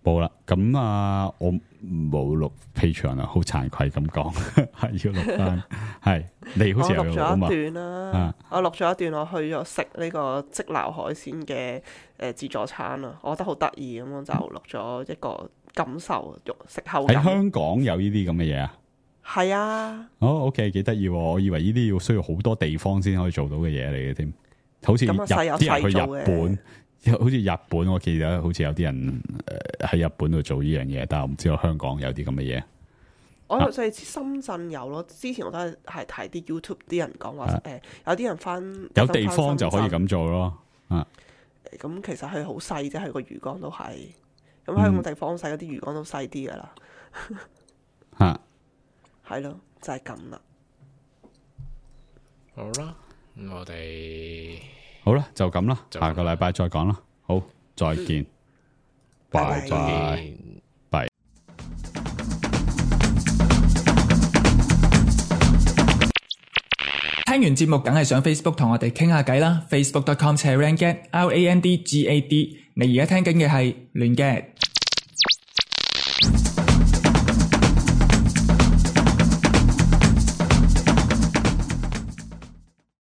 冇啦。咁啊，我冇錄 Patreon 啊，好慚愧咁講，係要錄翻。係你好似有錄啊嘛？我錄咗一段啦，啊、我錄咗一段，我去咗食呢個即撈海鮮嘅誒自助餐啊，我覺得好得意，咁我就錄咗一個感受，食後感。喺香港有呢啲咁嘅嘢啊？係啊，哦 ，OK， 幾得意，我以為呢啲要需要好多地方先可以做到嘅嘢嚟嘅添，好似日啲人去日本，好似日本，我記得好似有啲人誒喺日本度做呢樣嘢，但係我唔知道香港有啲咁嘅嘢。我就係深圳有咯，之前我都係係睇啲 YouTube 啲人講話，誒、呃、有啲人翻有地方就可以咁做咯，啊，咁其實佢好細啫，佢個魚缸都係，咁香港地方細，嗰啲魚缸都細啲噶啦，吓、嗯。係咯，就係咁啦。好啦，咁我哋好啦，就咁啦，下個禮拜再講啦。好，再見，拜拜，拜。聽完節目梗係上 Facebook 同我哋傾下偈啦 ，facebook dot com slash randgad，R A N D G A D。你而家聽緊嘅係亂 gad。